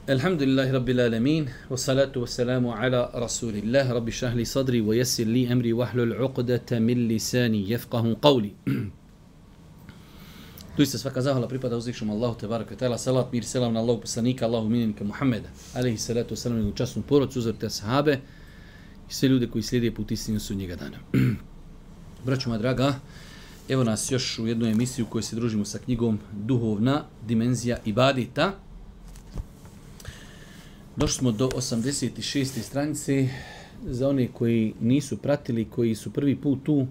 Alhamdulillahi Rabbil Alamin, wassalatu wassalamu ala Rasulillah, Rabbi šrah li sadri, wa yassir li amri, wahlul uqdata min lisani, yafqahu qawli. Doista svaka zahvala pripada uzvišenom Allahu tebareke ve taala, salat mir selam na Allahu poslanika, Allahu minenika Muhameda, alejhi salatu vesselam, u časnu porodcu, uzvrte ashabe i sve ljude koji slijede put istinu sudnjega dana. Braćo moja draga, evo nas još u jednu emisiju u kojoj se družimo sa knjigom Duhovna dimenzija ibadeta. Došli smo do 86. stranice. Za one koji nisu pratili, koji su prvi put tu,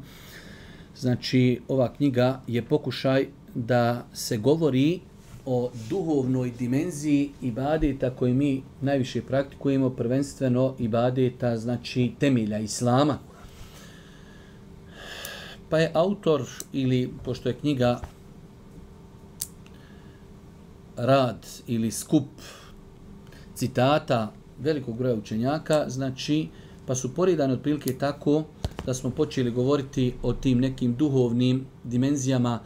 znači ova knjiga je pokušaj da se govori o duhovnoj dimenziji ibadeta koji mi najviše praktikujemo, prvenstveno ibadeta, znači temelja Islama. Pa je autor, ili pošto je knjiga rad ili skup citata velikog broja učenjaka, znači, pa su poredani otprilike tako da smo počeli govoriti o tim nekim duhovnim dimenzijama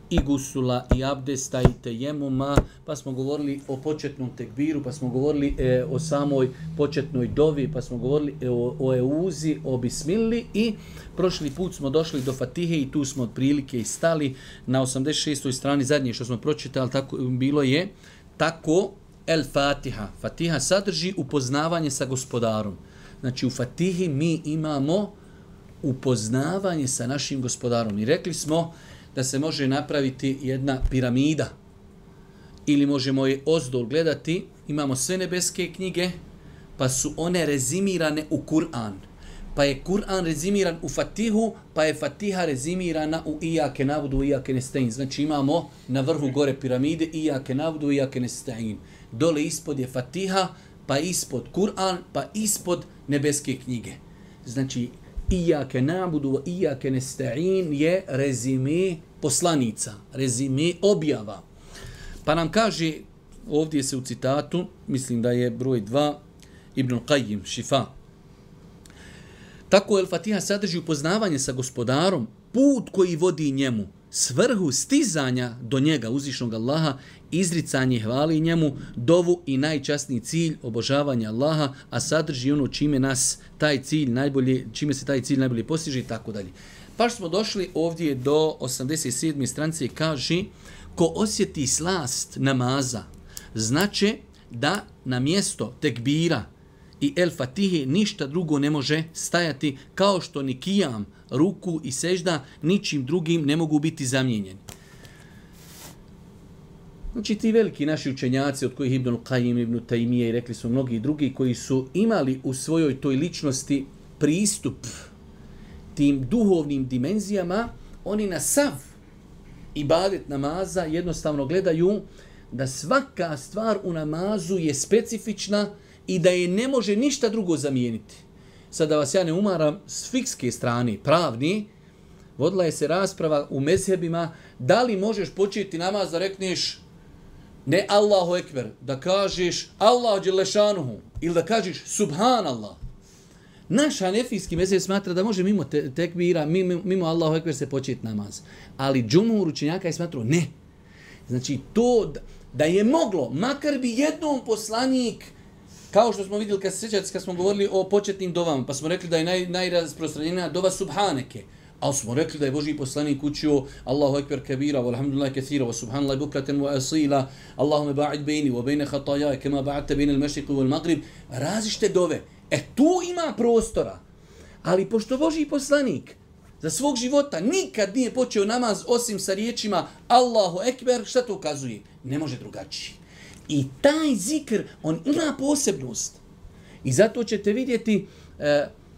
i gusula, i abdesta, i tejemuma, pa smo govorili o početnom tekbiru, pa smo govorili o samoj početnoj dovi, pa smo govorili o euzi, o bismilli, i prošli put smo došli do Fatihe i tu smo otprilike i stali na 86. strani. Zadnje što smo pročitali, tako bilo je tako El Fatiha. Fatiha sadrži upoznavanje sa gospodarom. Znači u Fatihi mi imamo upoznavanje sa našim gospodarom. I rekli smo da se može napraviti jedna piramida ili možemo je ozdol gledati. Imamo sve nebeske knjige, pa su one rezimirane u Kur'an. Pa je Kur'an rezimiran u Fatihu, pa je Fatiha rezimirana u Iyake na'budu, Iyake nestaîn. Znači imamo na vrhu gore piramide Iyake na'budu, Iyake nestaîn. Dole ispod je Fatiha, pa ispod Kur'an, pa ispod nebeske knjige. Znači Iyake na'budu, Iyake nestaîn je rezime poslanica, rezime objava. Pa nam kaže, ovdje se u citatu, mislim da je broj 2, Ibn Qayyim, Šifa. Tako El Fatiha sadrži upoznavanje sa gospodarom, put koji vodi njemu, svrhu stizanja do njega, uzvišnog Allaha, izricanje hvali njemu, dovu i najčasniji cilj obožavanja Allaha, a sadrži ono čime nas taj cilj najbolje, čime se taj cilj najbolje postiže i tako dalje. Pa smo došli ovdje do 87. stranice, kaže: ko osjeti slast namaza, znači da na mjesto tekbira i El Fatihe ništa drugo ne može stajati, kao što ni kijam, ruku i sežda ničim drugim ne mogu biti zamijenjeni. Znači ti veliki naši učenjaci, od kojih Ibn Qayyim, Ibn Taymije i rekli su mnogi drugi, koji su imali u svojoj toj ličnosti pristup tim duhovnim dimenzijama, oni na sav ibadet namaza jednostavno gledaju da svaka stvar u namazu je specifična i da je ne može ništa drugo zamijeniti. Sad da vas ja ne umaram, s fikske strane, pravni, vodila je se rasprava u mezhebima, da li možeš početi namaz da rekneš ne Allahu ekber, da kažeš Allahu dželešanuhu, ili da kažeš Subhanallah. Naš hanefijski mezheb smatra da može mimo tekbira, mimo Allahu ekber se početi namaz. Ali džumhur učenjaka je smatrao ne. Znači to da je moglo, makar bi jednom poslanik, kao što smo vidjeli kad smo govorili o početnim dovama, pa smo rekli da je najrasprostranjenija dova Subhaneke, ali smo rekli da je Božji poslanik učio Allahu ekber kabira, walhamdulillahi kathira, wa subhanallahi bukratan wa asila, Allahume ba'id bejni, wa bejne hatajaj, kema ba'adte bejne al-mešriqu wal-maghrib, različite dove. Tu ima prostora. Ali pošto Božji poslanik za svog života nikad nije počeo namaz osim sa riječima Allahu ekber, šta to ukazuje? Ne može drugačije. I taj zikr, on ima posebnost. I zato ćete vidjeti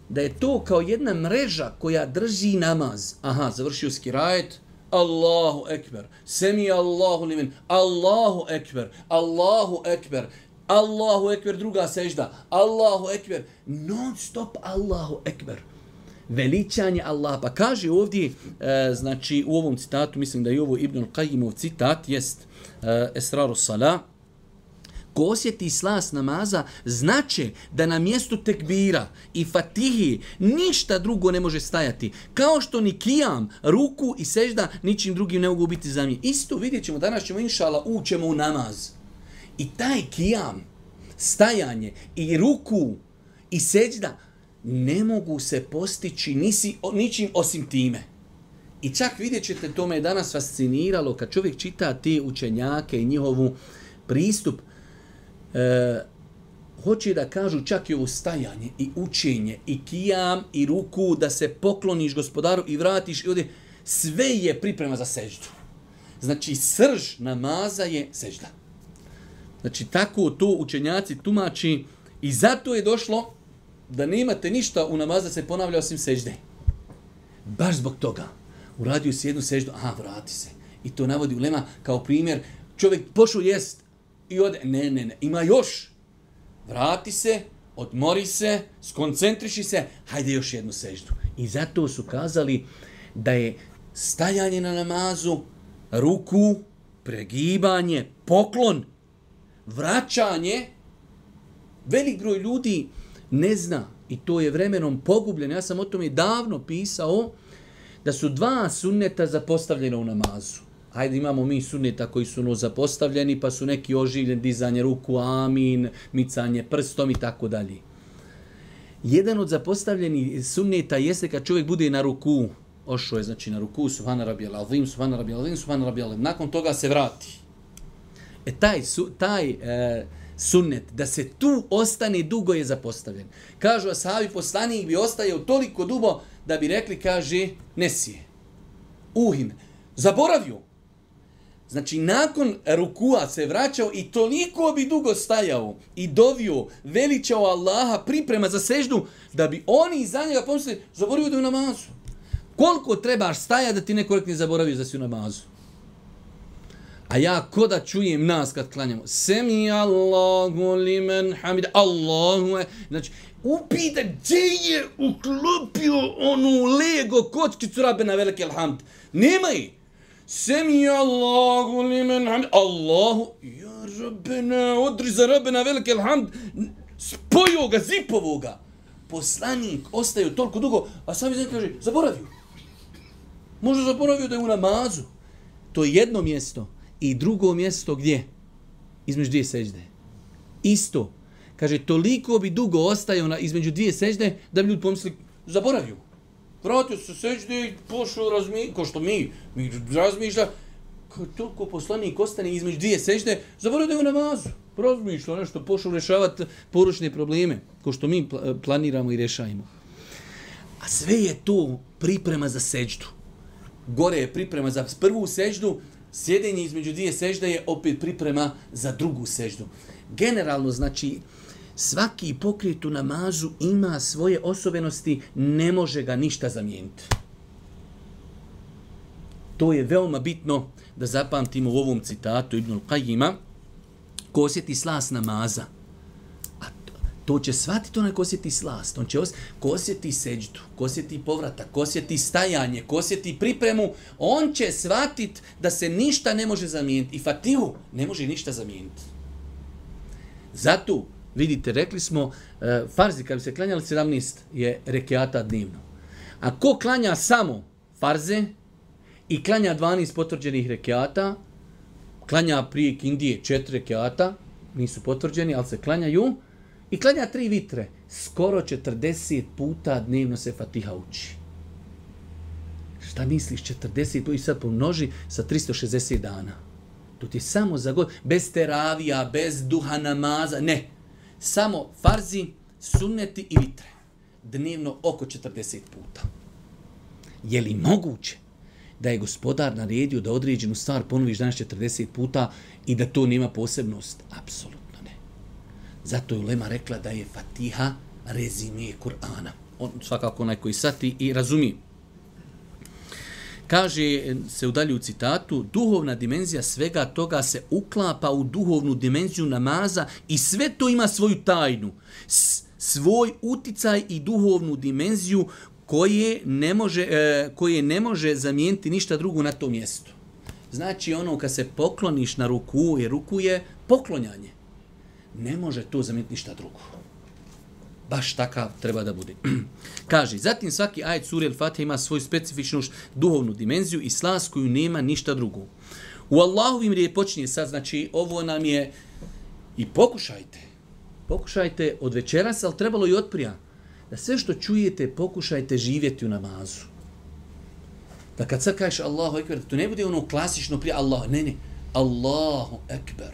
da je to kao jedna mreža koja drži namaz. Aha, završio skirajet, Allahu ekber, semi Allahu limen, Allahu ekber, Allahu ekber, Allahu ekber, druga sežda, Allahu ekber, non stop Allahu ekber. Veličanje Allaha. Pa kaže ovdje, znači u ovom citatu, mislim da je ovo Ibn Qayyimov citat, jest Esraru Salah, ko osjeti slast namaza, znači da na mjestu tekbira i Fatihi ništa drugo ne može stajati. Kao što ni kijam, ruku i sežda ničim drugim ne mogu biti zamijenjeni. Isto vidjet ćemo, danas ćemo inšala ućemo u namaz. I taj kijam, stajanje i ruku i seđda ne mogu se postići ničim osim time. I čak vidjet ćete, to me je danas fasciniralo, kad čovjek čita te učenjake i njihovu pristup, hoće da kažu čak i ovo stajanje i učenje i kijam i ruku, da se pokloniš gospodaru i vratiš i ovdje, sve je priprema za seždu. Znači, srž namaza je sežda. Znači, tako to učenjaci tumači i zato je došlo da nemate ništa u namazu da se ponavlja osim sežde. Baš zbog toga. Uradio si jednu seždu, vrati se. I to navodi ulema kao primjer. Čovjek pošao jest i ode, ne, ima još. Vrati se, odmori se, skoncentriši se, hajde još jednu seždu. I zato su kazali da je stajanje na namazu, ruku, pregibanje, poklon, vraćanje. Velik broj ljudi ne zna i to je vremenom pogubljeno. Ja sam o tome davno pisao da su 2 sunneta zapostavljena u namazu. Hajde, imamo mi sunneta koji su zapostavljeni, pa su neki oživljeni, dizanje ruku, amin, micanje prstom i tako dalje. Jedan od zapostavljenih sunneta jeste kad čovjek bude na ruku, ošao je znači na ruku, subhana rabijal azim, subhana rabijal azim, subhana rabijal azim, nakon toga se vrati. Taj sunnet, da se tu ostane dugo je zapostavljen. Kažu ashabi, poslanik bi ostajao toliko dugo da bi rekli, kaže, nesije, uhin, zaboravio. Znači, nakon rukua se vraćao i toliko bi dugo stajao i dovio, veličao Allaha, priprema za seždu, da bi oni iza njega pomislili, zaboravio da je u namazu. Koliko trebaš stajati da ti neko rekne zaboravio da si u namazu? A ja ko da čujem nas kad klanjamo, semi Allahu limen hamida, Allahu, znači, upita gdje je uklopio onu Lego kockicu Rabbena velikel hamd. Nema je. Semi Allahu limen hamida, Allahu, ja Rabbena, odri za Rabbena velikel hamd, spojio ga, zipovo ga. Poslanik ostaju toliko dugo, a sam izgleda kaže, zaboravio. Možda zaboravio da je u namazu. To je jedno mjesto. I drugo mjesto gdje? Između 2 sežde. Isto. Kaže, toliko bi dugo ostajao između 2 sežde da bi ljudi pomislili, zaboravio. Vratio se sežde i pošao razmišljati, kao što mi razmišlja, toliko poslanik ostane između 2 sežde, zaboravio da je u namazu. Razmišlja nešto, pošao rješavati poručne probleme, kao što mi planiramo i rješajemo. A sve je to priprema za seždu. Gore je priprema za prvu seždu, sjedenje između 2 sežde je opet priprema za drugu seždu. Generalno, znači, svaki pokret u namazu ima svoje osobenosti, ne može ga ništa zamijeniti. To je veoma bitno da zapamtimo u ovom citatu Ibnul Qajima. Ko osjeti slast namaza, a to će shvatiti onaj ko osjeti slast, on će ko osjeti seđdu, ko osjeti povratak, ko osjeti stajanje, ko osjeti pripremu, on će shvatiti da se ništa ne može zamijeniti. I Fatihu ne može ništa zamijeniti. Zato, vidite, rekli smo, farzi kad bi se klanjali 17 je rekiata dnevno. A ko klanja samo farze i klanja 12 potvrđenih rekiata, klanja prije kindije 4 rekiata, nisu potvrđeni, ali se klanjaju, i klanja 3 vitre. Skoro 40 puta dnevno se Fatiha uči. Šta misliš, 40 puta i sad pomnoži sa 360 dana. To ti je samo za god, bez teravija, bez duha namaza, ne. Samo farzi, sunneti i vitre. Dnevno oko 40 puta. Je li moguće da je gospodar naredio da određenu stvar ponoviš danas 40 puta i da to nema posebnost? Apsolutno ne. Zato je ulema rekla da je Fatiha rezime Kur'ana. On svakako onaj koji sati i razumije. Kaže se u dalju citatu, duhovna dimenzija svega toga se uklapa u duhovnu dimenziju namaza i sve to ima svoju tajnu, svoj uticaj i duhovnu dimenziju koje ne može zamijeniti ništa drugo na tom mjestu. Znači ono kad se pokloniš na ruku, jer ruku je poklonjanje. Ne može to zamijeniti ništa drugo. Baš takav treba da bude. Kaže, zatim svaki ajet sure Al-Fatiha ima svoju specifičnu duhovnu dimenziju i slast koju nema ništa drugo. U Allahovim riječi počinje sad, znači ovo nam je i pokušajte. pokušajte od večeras, ali trebalo i otprija, da sve što čujete pokušajte živjeti u namazu. Da kad sad kažeš Allahu ekber, to ne bude ono klasično prije Allah, ne, Allahu ekber.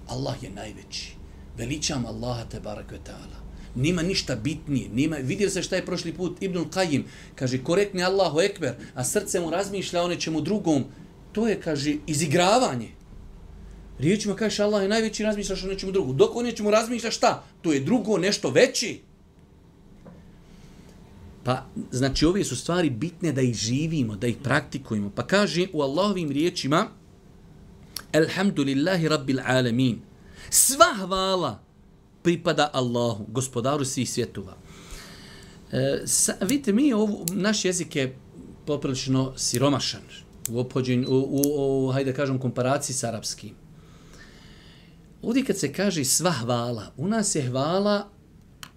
Allah je najveći. Veličam Allaha tebarek ve ta'ala. Nima ništa bitnije. Vidio se šta je prošli put Ibnul Qajim. Kaže, korektni Allahu ekber, a srce mu razmišlja o nečemu drugom. To je, kaže, izigravanje. Riječima kažeš Allah je najveći, razmišljaš o nečemu drugom. Dok o nečemu razmišljaš šta? To je drugo nešto veći. Pa, znači, ove su stvari bitne da ih živimo, da ih praktikujemo. Pa kaže u Allahovim riječima Alhamdulillahi Rabbil Alamin. Sva hvala pripada Allahu, gospodaru svih svjetova. Vidite, naš jezik je poprilično siromašan u ophođenju, hajde da kažem, komparaciji s arapskim. Ovdje kad se kaže sva hvala, u nas je hvala,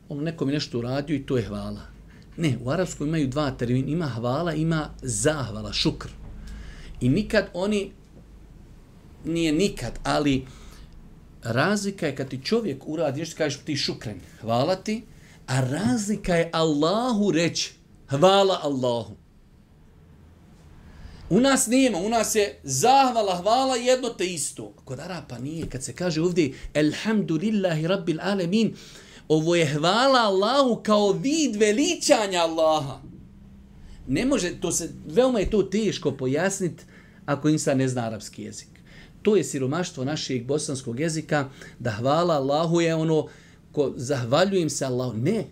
nekom je nešto uradio i to je hvala. Ne, u arapskom imaju dva termina, ima hvala, ima zahvala, šukr. I nikad oni, nije nikad, ali razlika je kad ti čovjek uradi, nešto kažeš ti šukren, hvala ti, a razlika je Allahu reći, hvala Allahu. U nas nema, u nas je zahvala, hvala jedno te isto. Kod Arapa nije, kad se kaže ovdje Alhamdulillahi Rabbil Alamin, ovo je hvala Allahu kao vid veličanja Allaha. Ne može, veoma je to teško pojasniti ako insan ne zna arapski jezik. To je siromaštvo našeg bosanskog jezika, da hvala Allahu je ono, ko zahvaljujem se Allahu. Ne,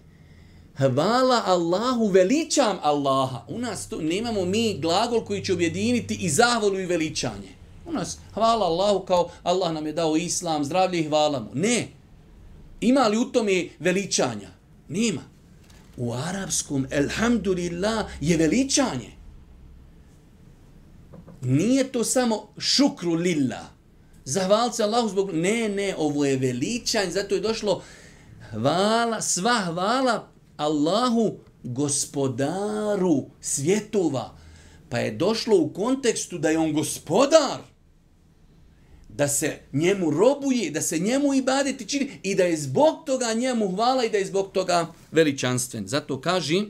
hvala Allahu, veličam Allaha. U nas to, nemamo mi glagol koji će objediniti i zahvalu i veličanje. U nas hvala Allahu kao Allah nam je dao islam, zdravlje i hvala mu. Ne. Ima li u tome veličanja? Nema. U arapskom elhamdulillah je veličanje. Nije to samo šukru lillah. Zahvaliti se Allahu zbog... Ne, ovo je veličanje, zato je došlo hvala, sva hvala Allahu, gospodaru svjetova. Pa je došlo u kontekstu da je on gospodar, da se njemu robuje, da se njemu ibadeti čini i da je zbog toga njemu hvala i da je zbog toga veličanstven. Zato kaže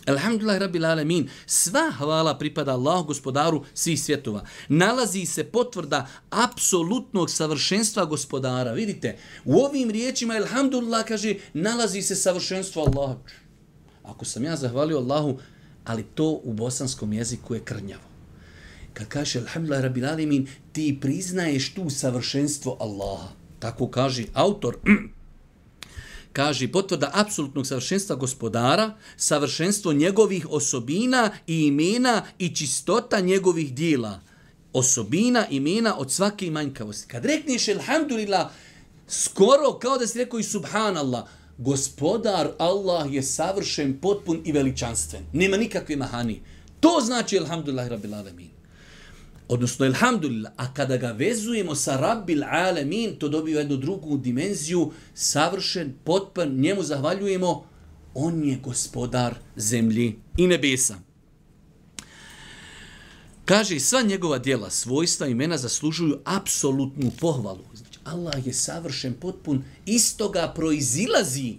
Alhamdulillah Rabbil Alamin, sva hvala pripada Allahu, gospodaru svih svjetova. Nalazi se potvrda apsolutnog savršenstva gospodara. Vidite, u ovim riječima Alhamdulillah kaže, nalazi se savršenstvo Allaha. Ako sam ja zahvalio Allahu, ali to u bosanskom jeziku je krnjavo. Kad kaže Alhamdulillah Rabbil Alamin, ti priznaješ tu savršenstvo Allaha. Tako kaže autor. Kaže, potvrda apsolutnog savršenstva gospodara, savršenstvo njegovih osobina i imena i čistota njegovih dijela. Osobina, imena od svake manjkavosti. Kad rekneš Alhamdulillah, skoro kao da si rekao i Subhanallah, gospodar Allah je savršen, potpun i veličanstven. Nema nikakve mahani. To znači Alhamdulillah Rabbil Alamin. Odnosno, Alhamdulillah, a kada ga vezujemo sa Rabbil Alamin, to dobije jednu drugu dimenziju, savršen, potpun, njemu zahvaljujemo, on je gospodar zemlji i nebesa. Kaže, sva njegova djela, svojstva, imena zaslužuju apsolutnu pohvalu. Znači, Allah je savršen, potpun, iz toga proizilazi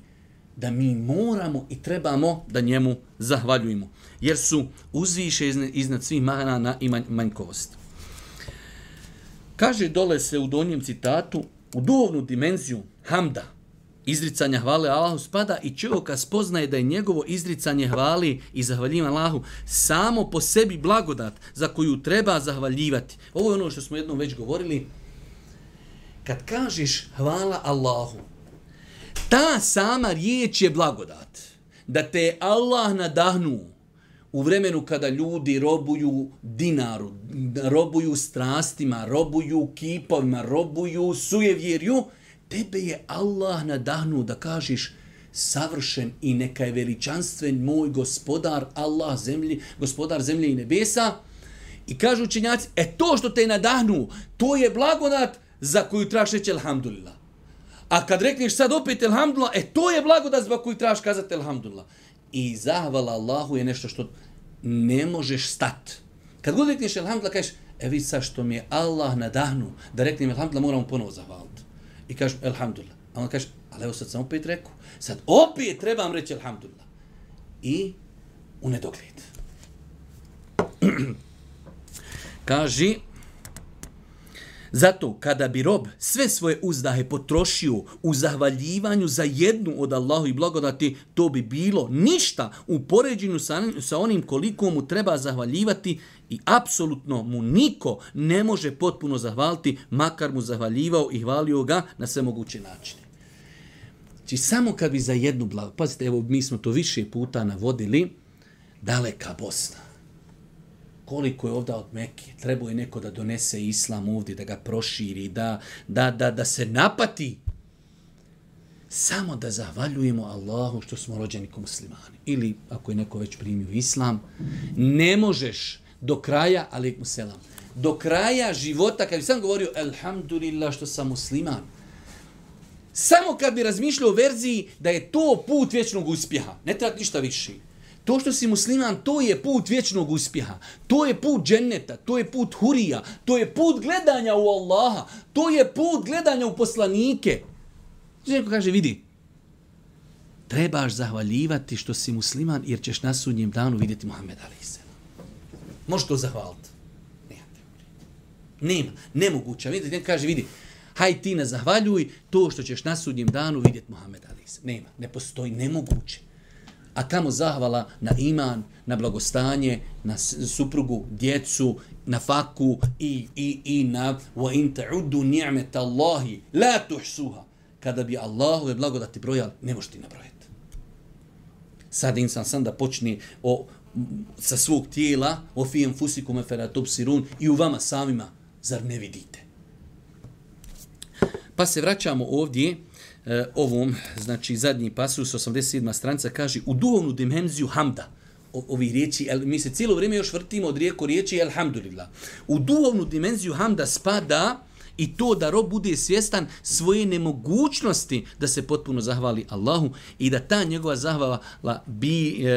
da mi moramo i trebamo da njemu zahvaljujemo. Jer su uzviše iznad svih mana i manjkovosti. Kaže dole se u donjem citatu, u duhovnu dimenziju hamda, izricanja hvale Allahu spada i čovjeka spoznaje da je njegovo izricanje hvali i zahvaljivanje Allahu samo po sebi blagodat za koju treba zahvaljivati. Ovo je ono što smo jednom već govorili. Kad kažeš hvala Allahu, ta sama riječ je blagodat. Da te je Allah nadahnuo u vremenu kada ljudi robuju dinaru, robuju strastima, robuju kipovima, robuju sujevjerju, tebe je Allah nadahnuo da kažeš savršen i neka je veličanstven moj gospodar Allah zemlji, gospodar zemlje i nebesa. I kažu učenjaci, to što te je nadahnuo, to je blagodat za koju trebaš reći Alhamdulillah. A kad rekneš sad opet Alhamdulillah, to je blagodat zbog koju trebaš kazati Alhamdulillah. I zahvala Allahu je nešto što ne možeš stati. Kad god rekneš Alhamdulillah, kažeš, vidi sad što mi je Allah nadahnuo da reknem Alhamdulillah, moramo ponovo zahvaliti. I kažeš Alhamdulillah. A on kaže, ali evo sad sam opet rekao. Sad opet trebam reći alhamdulillah. I u nedogled. Kaže, zato kada bi rob sve svoje uzdahe potrošio u zahvaljivanju za jednu od Allahu i blagodati, to bi bilo ništa u poređenju sa onim koliko mu treba zahvaljivati i apsolutno mu niko ne može potpuno zahvaliti, makar mu zahvaljivao i hvalio ga na sve moguće načine. Znači, samo kad bi za jednu blagodat, pazite, evo, mi smo to više puta navodili, daleka Bosna. Koliko je ovdje od Mekke, trebao je neko da donese islam ovdje, da ga proširi, da se napati. Samo da zahvaljujemo Allahu što smo rođeni ko muslimani. Ili ako je neko već primio islam, ne možeš do kraja, alejkum selam, do kraja života, kad bi sam govorio alhamdulillah što sam musliman, samo kad bi razmišljao o verziji da je to put vječnog uspjeha, ne treba ništa više. To što si musliman, to je put vječnog uspjeha. To je put dženneta, to je put hurija, to je put gledanja u Allaha, to je put gledanja u poslanike. Neko kaže, vidi, trebaš zahvaljivati što si musliman jer ćeš na sudnjem danu vidjeti Muhammed a.s. Možeš to zahvaliti? Nema, nemoguće. Vidite, neko kaže, vidi, haj ti ne zahvaljuj to što ćeš na sudnjem danu vidjeti Muhammed a.s. Nema, ne postoji, nemoguće. A kamo zahvala na iman, na blagostanje, na suprugu, djecu, na faku i na wa in ta'uddu ni'mata Allahi la tuhsuha. Kada bi Allahove blagodati brojali, ne možeš ti nabrojati. Sad insan sam da počne sa svog tijela, o fi anfusikum afala tubsirun, i u vama samima, zar ne vidite? Pa se vraćamo ovdje ovom, znači zadnji pasus, 87. stranica, kaže u duhovnu dimenziju hamda, ovi riječi, mi se cijelo vrijeme još vrtimo od riječi alhamdulillah. U duhovnu dimenziju hamda spada i to da rob bude svjestan svoje nemogućnosti da se potpuno zahvali Allahu i da ta njegova zahvala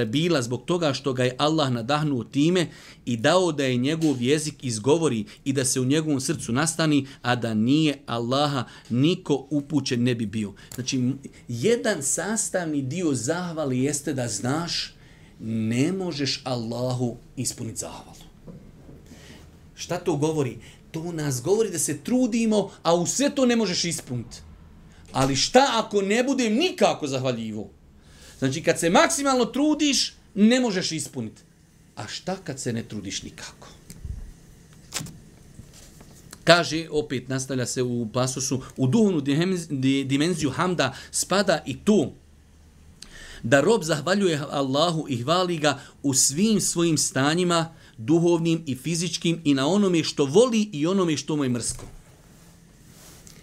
bila zbog toga što ga je Allah nadahnuo time i dao da je njegov jezik izgovori i da se u njegovom srcu nastani, a da nije Allaha niko upućen ne bi bio. Znači, jedan sastavni dio zahvali jeste da znaš ne možeš Allahu ispuniti zahvalu. Šta to govori? To nas govori da se trudimo, a u sve to ne možeš ispuniti. Ali šta ako ne budem nikako zahvaljivo? Znači, kad se maksimalno trudiš, ne možeš ispuniti. A šta kad se ne trudiš nikako? Kaže, opet nastavlja se u pasusu, u duhovnu dimenziju hamda spada i to da rob zahvaljuje Allahu i hvali ga u svim svojim stanjima, duhovnim i fizičkim, i na onome što voli i onome što mu je mrsko.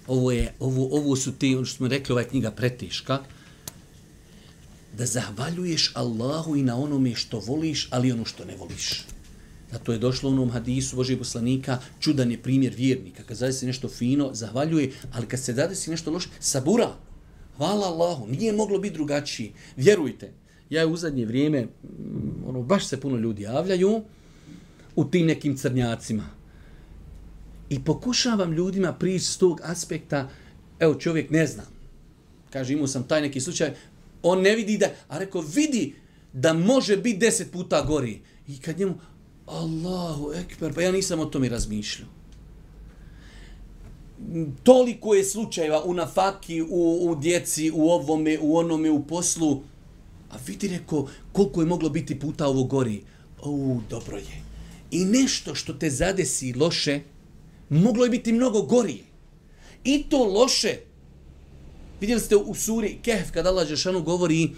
Ovo su te, ono što smo rekli, ova je knjiga preteška, da zahvaljuješ Allahu i na onome što voliš, ali ono što ne voliš. Zato je došlo u onom hadisu Božijeg poslanika, čudan je primjer vjernika. Kad zadesi nešto fino, zahvaljuje, ali kad se zadesi nešto loše, sabura. Hvala Allahu, nije moglo biti drugačiji. Vjerujte, ja u zadnje vrijeme, baš se puno ljudi javljaju u tim nekim crnjacima. I pokušavam ljudima prići s tog aspekta, evo čovjek ne znam, kaže imao sam taj neki slučaj, on ne vidi da, a rekao vidi da može biti 10 puta gori. I kad njemu, Allahu ekber, pa ja nisam o tome razmišljao. Toliko je slučajeva u nafaki, u djeci, u ovome, u onome, u poslu, a vidi rekao koliko je moglo biti puta ovo gori. Dobro je. I nešto što te zadesi loše, moglo je biti mnogo gorije. I to loše. Vidjeli ste u suri Kehf, kada Allah Đelešanu govori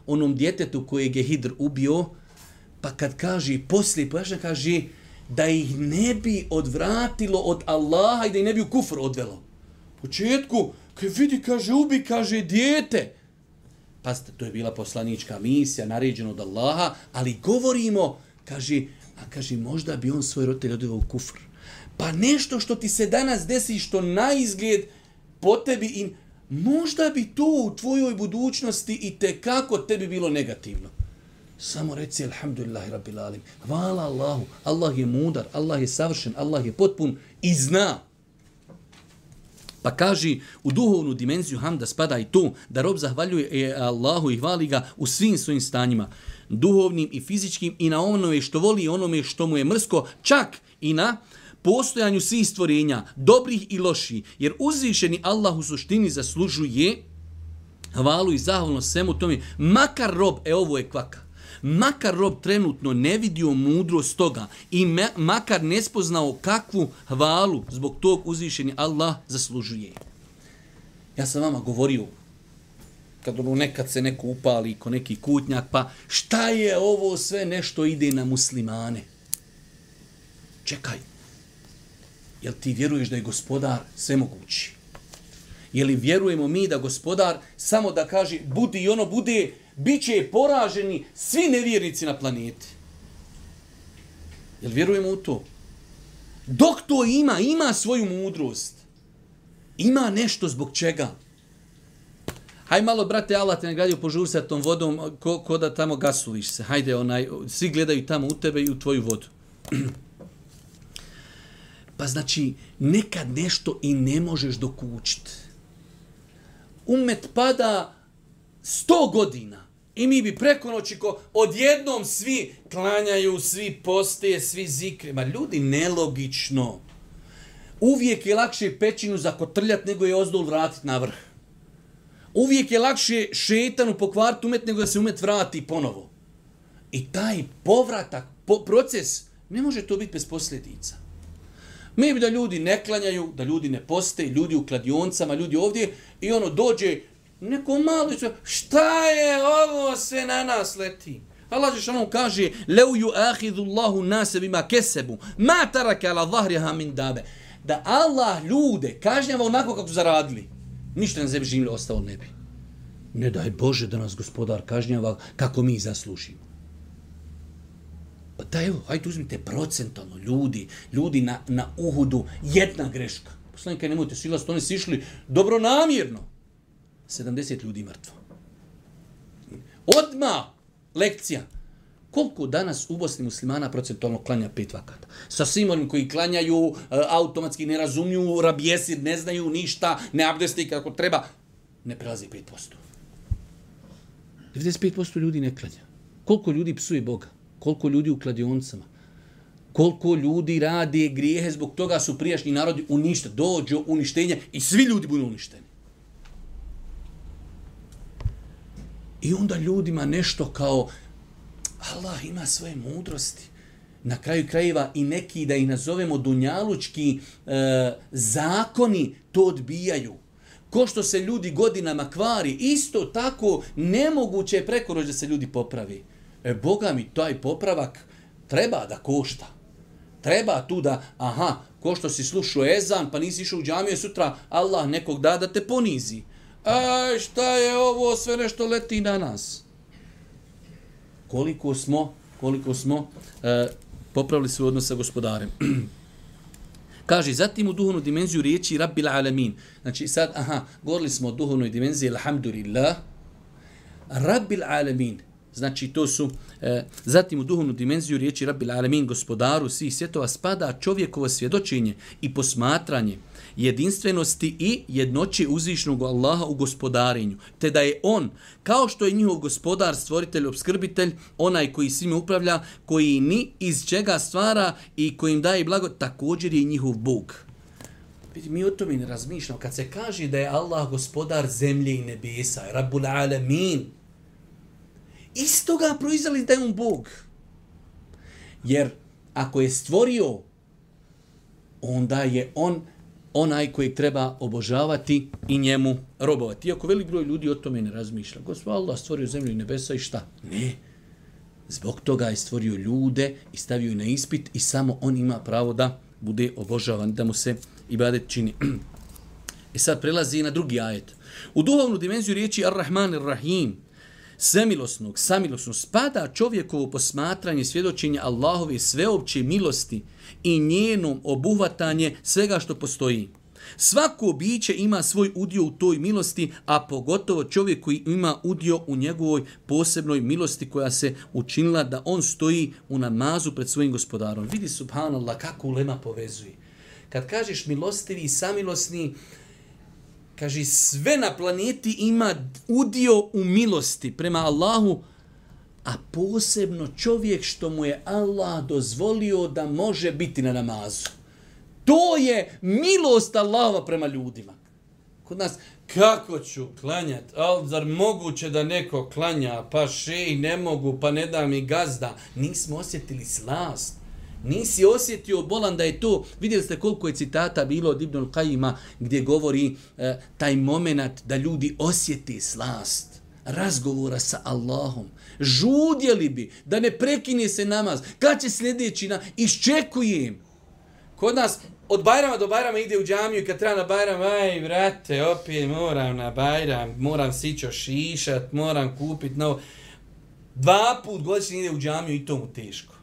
onom djetetu kojeg je Hidr ubio, pa kad kaže, poslije pojašnja kaže, da ih ne bi odvratilo od Allaha i da ih ne bi u kufr odvelo. U početku, kad vidi, kaže, ubi, kaže, dijete. Pazite, to je bila poslanička misija, naređena od Allaha, ali govorimo, kaže, možda bi on svoj roditelj odveo u kufr. Pa nešto što ti se danas desi, što na izgled po tebi, možda bi to u tvojoj budućnosti i tekako tebi bilo negativno. Samo reci alhamdulillahi rabbil alim. Hvala Allahu. Allah je mudar, Allah je savršen, Allah je potpun i zna. Pa kaže, u duhovnu dimenziju hamda spada i to da rob zahvaljuje Allahu i hvali ga u svim svojim stanjima, duhovnim i fizičkim, i na onome što voli i onome što mu je mrsko, čak i na postojanju svih stvorenja, dobrih i loših, jer uzvišeni Allah u suštini zaslužuje hvalu i zahvalnost svemu tome, makar rob, ovo je kvaka, makar rob trenutno ne vidio mudrost toga i makar ne spoznao kakvu hvalu zbog tog uzvišeni Allah zaslužuje. Ja sam vama govorio, kad nekad se neko upali ko neki kutnjak, pa šta je ovo sve nešto ide na muslimane? Čekaj, jel ti vjeruješ da je gospodar svemogući? Je li vjerujemo mi da gospodar samo da kaže budi i ono bude, bit će poraženi svi nevjernici na planeti? Jel vjerujemo u to? Dok to ima svoju mudrost. Ima nešto zbog čega. Hajde malo, brate, Allah te nagradio, požuri sa tom vodom, ko da tamo gasuliš se. Hajde, svi gledaju tamo u tebe i u tvoju vodu. Pa znači, nekad nešto i ne možeš dokučiti. Umet pada 100 godina i mi bi preko noći odjednom svi klanjaju, svi poste, svi zikre. Ma ljudi, nelogično. Uvijek je lakše pećinu zakotrljati nego je ozdol vratiti na vrh. Uvijek je lakše šetanu pokvariti umet nego da se umet vrati ponovo. I taj povratak, proces, ne može to biti bez posljedica. Mi bi da ljudi ne klanjaju, da ljudi ne poste, ljudi u kladioncama, ljudi ovdje, i dođe neko malo i sve, šta je ovo sve na nas leti? Allah dželle kaže: "Lau yu'akhidhu Allahu an-nasa bima kasabu, ma taraka ala dhahriha min dabe." Da Allah ljude kažnjava onako kako su zaradili, ništa na zemlji živjeli ostalo ne bi. Ne daj Bože da nas gospodar kažnjava kako mi zaslužimo. Pa da evo, hajde uzmite procentalno ljudi na Uhudu, jedna greška. Poslanika, nemojte silast, oni su išli dobronamjerno. 70 ljudi mrtvo. Odmah lekcija. Koliko danas u Bosni muslimana procentualno klanja 5 vakata? Sa svim onim koji klanjaju, automatski ne razumiju, rabjesir, ne znaju ništa, ne abdesti kako treba, ne prelazi 5%. 95% ljudi ne klanja. Koliko ljudi psuje Boga? Koliko ljudi u kladioncama? Koliko ljudi rade grijehe, zbog toga su prijašnji narodi uništeni, dođe uništenje i svi ljudi budu uništeni. I onda ljudima nešto kao Allah ima svoje mudrosti. Na kraju krajeva i neki, da ih nazovemo dunjalučki zakoni, to odbijaju. Ko što se ljudi godinama kvari, isto tako nemoguće je preko noći da se ljudi popravi. Boga mi, taj popravak treba da košta. Treba tu da, ko što si slušao ezan, pa nisi išao u džamiju, sutra Allah nekog da te ponizi. Šta je ovo, sve nešto leti na nas. Koliko smo popravili svoj odnos sa gospodarem. Kaže, zatim u duhovnu dimenziju riječi Rabbil Alamin. Znači sad, govorili smo o duhovnoj dimenziji, alhamdulillah. Rabbil Alamin. Znači to su, zatim u duhovnu dimenziju riječi Rabbil Alamin, gospodaru svih svjetova, spada čovjekovo svjedočenje i posmatranje jedinstvenosti i jednoće uzvišenog Allaha u gospodarenju, te da je on, kao što je njihov gospodar, stvoritelj, opskrbitelj, onaj koji svime upravlja, koji ni iz čega stvara i kojim daje blago, također je njihov Bog. Vidite, mi o tome ne razmišljamo. Kad se kaže da je Allah gospodar zemlje i nebesa, Rabbul Alamin, iz toga proizvali da je on Bog. Jer ako je stvorio, onda je on onaj kojeg treba obožavati i njemu robovati. Iako velik broj ljudi o tome ne razmišlja. Gospod Allah stvorio zemlju i nebesa i šta? Ne. Zbog toga je stvorio ljude i stavio na ispit i samo on ima pravo da bude obožavan, da mu se ibadet čini. I sad prelazi na drugi ajet. U duhovnu dimenziju riječi Ar-Rahman Ar-Rahim, svemilosnog, samilosnog, spada čovjekovo posmatranje, svjedočenja Allahove sveopće milosti i njenom obuhvatanje svega što postoji. Svako biće ima svoj udio u toj milosti, a pogotovo čovjek koji ima udio u njegovoj posebnoj milosti koja se učinila da on stoji u namazu pred svojim gospodarom. Vidi, subhanallah, kako ulema povezuje. Kad kažeš milostivi i samilosni, kaže, sve na planeti ima udio u milosti prema Allahu, a posebno čovjek što mu je Allah dozvolio da može biti na namazu. To je milost Allahova prema ljudima. Kod nas, kako ću klanjati? Ali zar moguće da neko klanja? Pa šej, ne mogu, pa ne da mi gazda. Nismo osjetili slast. Nisi osjetio, bolan, da je to. Vidjeli ste koliko je citata bilo od Ibnul Kajima gdje govori taj moment da ljudi osjeti slast razgovora sa Allahom. Žudjeli bi da ne prekine se namaz. Kad će sljedeći iščekujem. Kod nas od Bajrama do Bajrama ide u džamiju i kad treba na Bajram, aj vrate, opet moram na Bajram, moram sićo šišat, moram kupit novo. 2 put godišnje ide u džamiju i to mu teško.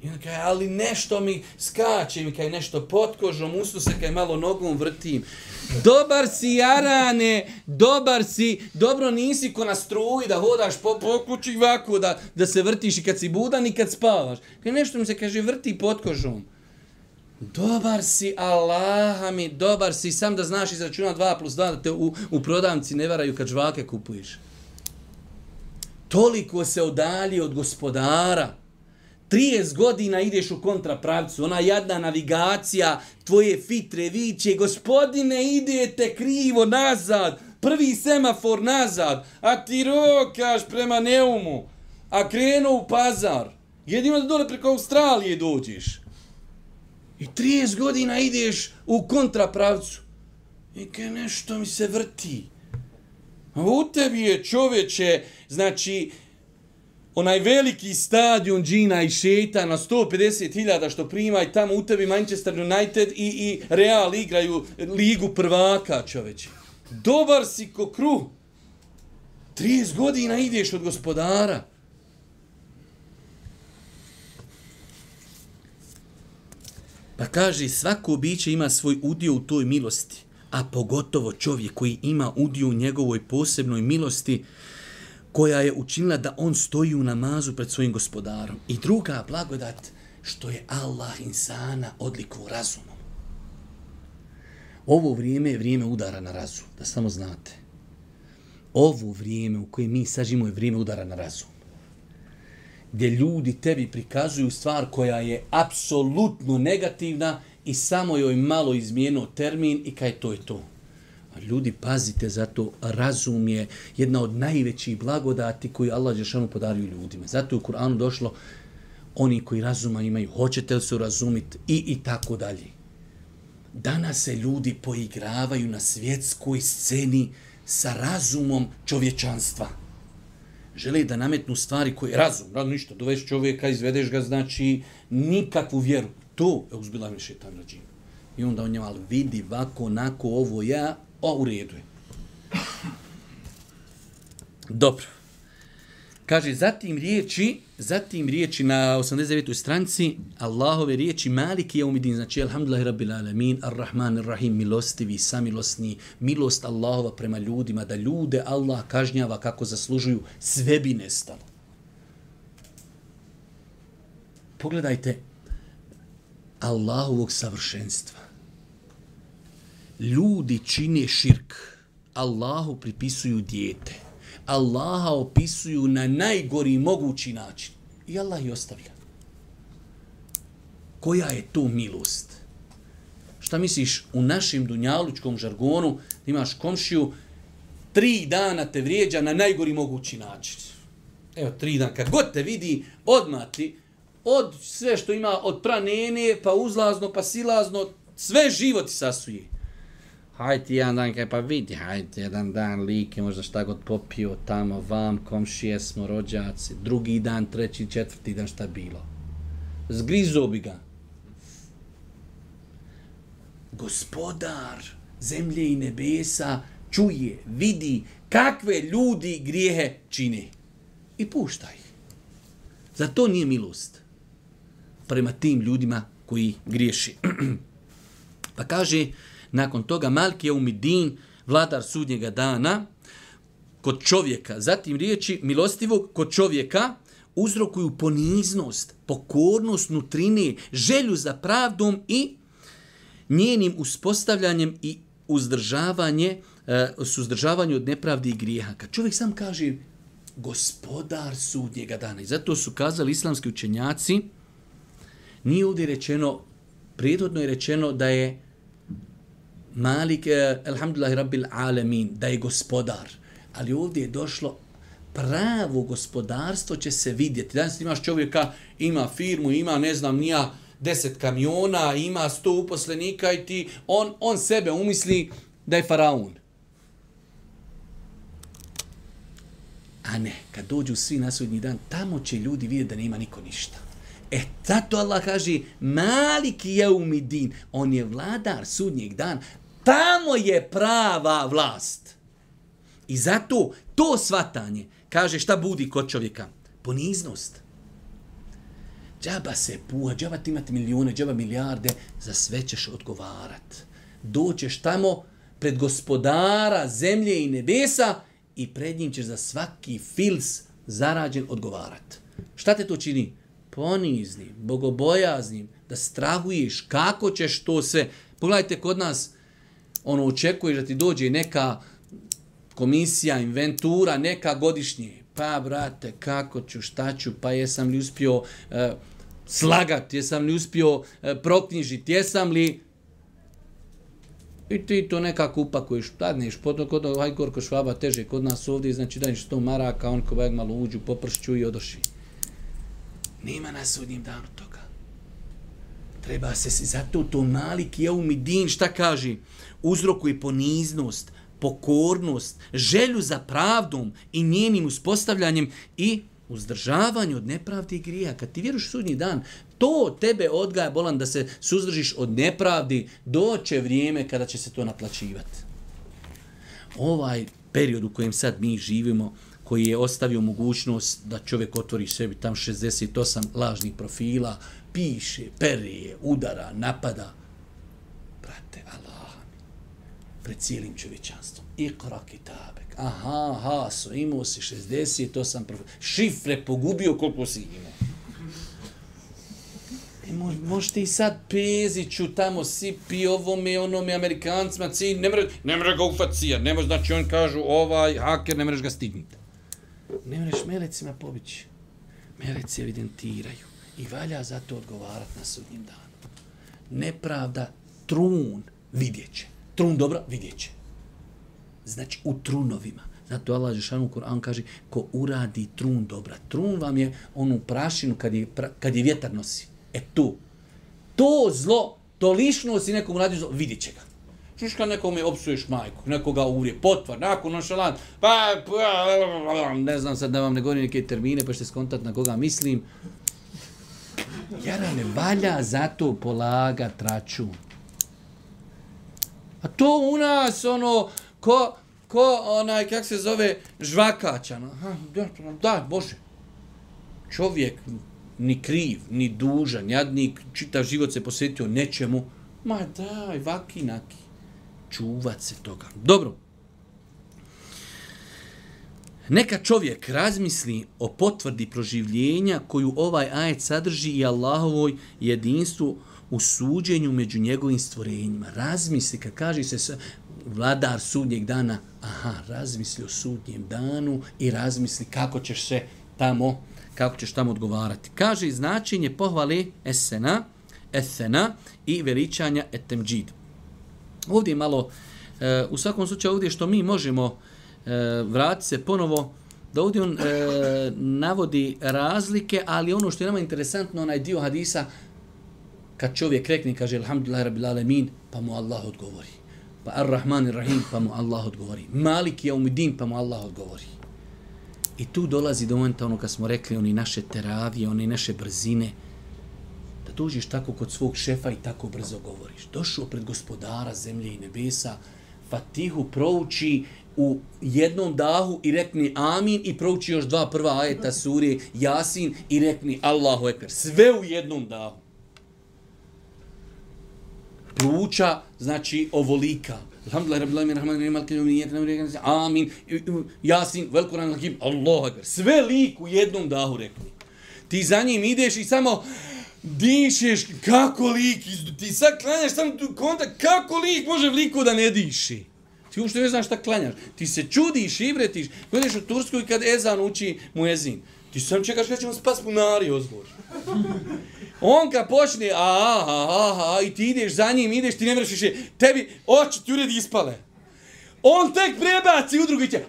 I on kaže, ali nešto mi skače, mi kaže nešto pod kožom, usnu se kaj malo nogom vrtim. Dobar si, Jarane, dobar si, dobro nisi ko na struji da hodaš po kući ovako, da se vrtiš i kad si budan i kad spavaš. Kaj nešto mi se kaže vrti pod kožom. Dobar si, Allaha mi, dobar si, sam da znaš izračuna 2 plus 2, da te u prodavnici ne varaju kad žvake kupuješ. Toliko se odalji od gospodara. 30 godina ideš u kontrapravcu, ona jadna navigacija, tvoje fitre viće, gospodine, idete krivo nazad, prvi semafor nazad, a ti rokaš prema Neumu, a krenu u Pazar. Jedino da dole preko Australije dođeš. I 30 godina ideš u kontrapravcu. I kaj nešto mi se vrti. A u tebi je, čoveče, znači, onaj veliki stadion džina i šeta na 150.000 što prima i tamo u tebi Manchester United i Real igraju ligu prvaka, čoveče. Dobar si ko kruh. 30 godina ideš od gospodara. Pa kaže, svako biće ima svoj udio u toj milosti, a pogotovo čovjek koji ima udio u njegovoj posebnoj milosti, koja je učinila da on stoji u namazu pred svojim gospodarom. I druga blagodat, što je Allah insana odlikovo razumom. Ovo vrijeme je vrijeme udara na razum, da samo znate. Ovo vrijeme u kojem mi sažimo je vrijeme udara na razum. Gdje ljudi tebi prikazuju stvar koja je apsolutno negativna i samo joj malo izmijenio termin i kaj to je to. Ljudi, pazite, zato razum je jedna od najvećih blagodati koju Allah dželešanu podario ljudima. Zato je u Kur'anu došlo, oni koji razuma imaju, hoćete li se razumiti i tako dalje. Danas se ljudi poigravaju na svjetskoj sceni sa razumom čovječanstva. Žele da nametnu stvari koje razum, ništa, doveš čovjeka, izvedeš ga, znači nikakvu vjeru. To je uzbilami šetan rađim. I onda on njema, vidi, vako, onako, ovo ja, u redu je. Dobro. Kaže, zatim riječi na 89. stranici, Allahove riječi Maliki Jaumidin, znači Alhamdulillahi Rabbil Alamin, Ar-Rahman Ar-Rahim, milostivi, samilosni, milost Allahova prema ljudima, da ljude Allah kažnjava kako zaslužuju, sve bi nestalo. Pogledajte Allahovog savršenstva. Ljudi čine širk, Allahu pripisuju dijete. Allaha opisuju na najgori mogući način. I Allah ih ostavlja. Koja je to milost? Šta misliš, u našem dunjalučkom žargonu imaš komšiju, 3 dana te vrijeđa na najgori mogući način. Evo, 3 dana, kad god te vidi, odmah ti, od sve što ima, od pranene, pa uzlazno, pa silazno, sve život sasuje. Hajde jedan dan, kaj pa vidi, hajde jedan dan like, možda šta god popio tamo, vam, komšije smo, rođaci, drugi dan, 3., 4. dan, šta bilo. Zgrizo bi ga. Gospodar zemlje i nebesa čuje, vidi kakve ljudi grijehe čine. I pušta ih. Zato nije milost prema tim ljudima koji griješi. Pa kaže, nakon toga Maliki Jaumidin, vladar sudnjega dana, kod čovjeka, zatim riječi milostivog kod čovjeka, uzrokuju poniznost, pokornost nutrine, želju za pravdom i njenim uspostavljanjem i suzdržavanje od nepravdi i grijeha. Kad čovjek sam kaže gospodar sudnjega dana. I zato su kazali islamski učenjaci, nije ovdje rečeno, prijedodno je rečeno da je Malik, alhamdulillahi rabbil alamin, da je gospodar. Ali ovdje je došlo pravo gospodarstvo će se vidjeti. Danas imaš čovjeka, ima firmu, ima ne znam nija 10 kamiona, ima 100 uposlenika i ti, on sebe umisli da je faraon. A ne, kad dođu svi na sudnji dan, tamo će ljudi vidjeti da nema niko ništa. Zato Allah kaže, Malik jeumidin, on je vladar sudnjeg dana, tamo je prava vlast. I zato to svatanje, kaže šta budi kod čovjeka? Poniznost. Džaba se puha, džaba ti imati milijune, džaba milijarde, za sve ćeš odgovarat. Doćeš tamo pred gospodara zemlje i nebesa i pred njim ćeš za svaki fils zarađen odgovarat. Šta te to čini? Poniznim, bogobojaznim, da strahuješ kako ćeš to sve. Pogledajte kod nas, očekuješ da ti dođe neka komisija, inventura, neka godišnje. Pa, brate, kako ću, šta ću, pa jesam li uspio slagati, jesam li uspio proknjižiti, jesam li... I ti to nekako upakuješ, dadneš, kod Hajgorko Švaba teže kod nas ovdje, znači daješ 100 maraka, on ko malo uđu, popršću i odoši. Nema na sudnjem danu toga. Treba se zato to Malik jeumidin, šta kaže? Uzrokuje poniznost, pokornost, želju za pravdom i njenim uspostavljanjem i uzdržavanje od nepravdi i grija. Kad ti vjeruješ u sudnji dan, to tebe odgaja, bolan, da se suzdržiš od nepravdi, doće vrijeme kada će se to naplaćivati. Ovaj period u kojem sad mi živimo, koji je ostavio mogućnost da čovjek otvori sebi tam 68 lažnih profila, piše, perije, udara, napada. Brate, Allah, pred cijelim čovječanstvom. Iqra kitabek. Aha, imao si 68 profila. Šifre pogubio koliko si imao. Možete i sad Peziću tamo sipi ovome, onome, Amerikancima, ne mre ga ufat cijat, ne može, znači on kažu haker, ne mreš ga stigniti. Ne mreš melecima pobići. Meleci evidentiraju i valja za to odgovarati na sudnjem danu. Nepravda, trun, vidjet će. Trun dobra, vidjet će. Znači u trunovima. Zato Allah Žešanu u Kur'anu kaže ko uradi trun dobra. Trun vam je onu prašinu kad je vjetar nosi. To zlo, to lišnost i nekom radi zlo, vidjet će ga. Čuš kad nekome opsuješ majku, nekoga urije, potvar, nakon nonšalant, ne znam sad da vam ne govorim neke termine, pa ćete skontat na koga mislim. Jarane, valja zato polagat račun. A to u nas, kak se zove, žvakača. Da, Bože. Čovjek ni kriv, ni dužan, jadnik, čitav život se posvetio nečemu. Ma daj, vaki naki. Čuvat se toga. Dobro. Neka čovjek razmisli o potvrdi proživljenja koju ovaj ajet sadrži i Allahovoj jedinstvu u suđenju među njegovim stvorenjima. Razmisli, kad kaže se vladar sudnjeg dana, razmisli o sudnjem danu i razmisli kako ćeš tamo odgovarati. Kaže značenje pohvale esena i veličanja etemđid. Ovdje je malo, u svakom slučaju ovdje što mi možemo vratiti se ponovo, da ovdje on navodi razlike, ali ono što je nama interesantno, onaj dio hadisa, kad čovjek rekne, kaže alhamdulillahi rabbil alamin, pa mu Allah odgovori. Pa ar-Rahman ir-Rahim, pa mu Allah odgovori. Malik jeumidin, pa mu Allah odgovori. I tu dolazi do momenta kad smo rekli, oni naše teravije, one naše brzine, da dođeš tako kod svog šefa i tako brzo govoriš. Došao pred gospodara zemlje i nebesa, Fatihu prouči u jednom dahu i rekni amin i prouči još 2 prva ajeta sure Jasin i rekni Allahu ekber. Sve u jednom dahu. Pluća, znači ovolika. Alhamdulillah, rabbil alamin, rahman, rahim, maliki yawmiddin, amin, Jasin, vel Kur'an hakim, Allahu ekber. Sve lik u jednom dahu rekni. Ti za njim ideš i samo dišeš, kako lik, ti sad klanjaš sam tu kontakt, kako lik može liko da ne diši? Ti uopšte ne znaš šta klanjaš. Ti se čudiš i vretiš. Gledaš u Tursku i kad ezan uči muezin. Ti sam čekaš kada će mu spas bunari ozvor. On kad počne, i ti ideš za njim, ideš, ti ne vreš više, tebi oči ti uredi ispale. On tek prebaci u drugi će,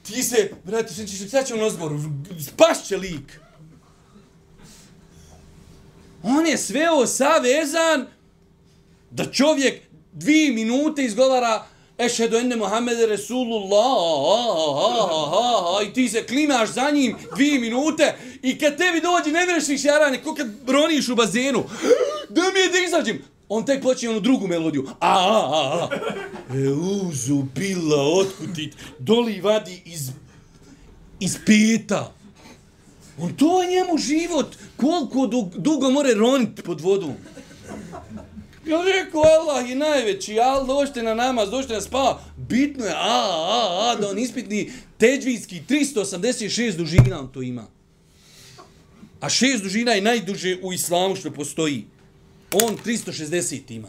ti se, brate, sad će on ozvor, spašće lik. On je sveo savezan da čovjek 2 minute izgovara Ešhedu enne Muhammede Resulullah i ti se klimaš za njim 2 minute i kad tebi dođe ne vrešiš jarane, ko kad broniš u bazenu, da mi je da izađem. On tek počne onu drugu melodiju. Euzu bila otkutit, doli vadi iz peta. On to je njemu život, koliko dugo more roniti pod vodom. Ja rekao, Allah je najveći, dođite na namaz, dođite na spava. Bitno je, da on ispitni teđvijski 386 dužina on to ima. A 6 dužina je najduže u islamu što postoji. On 360 ima.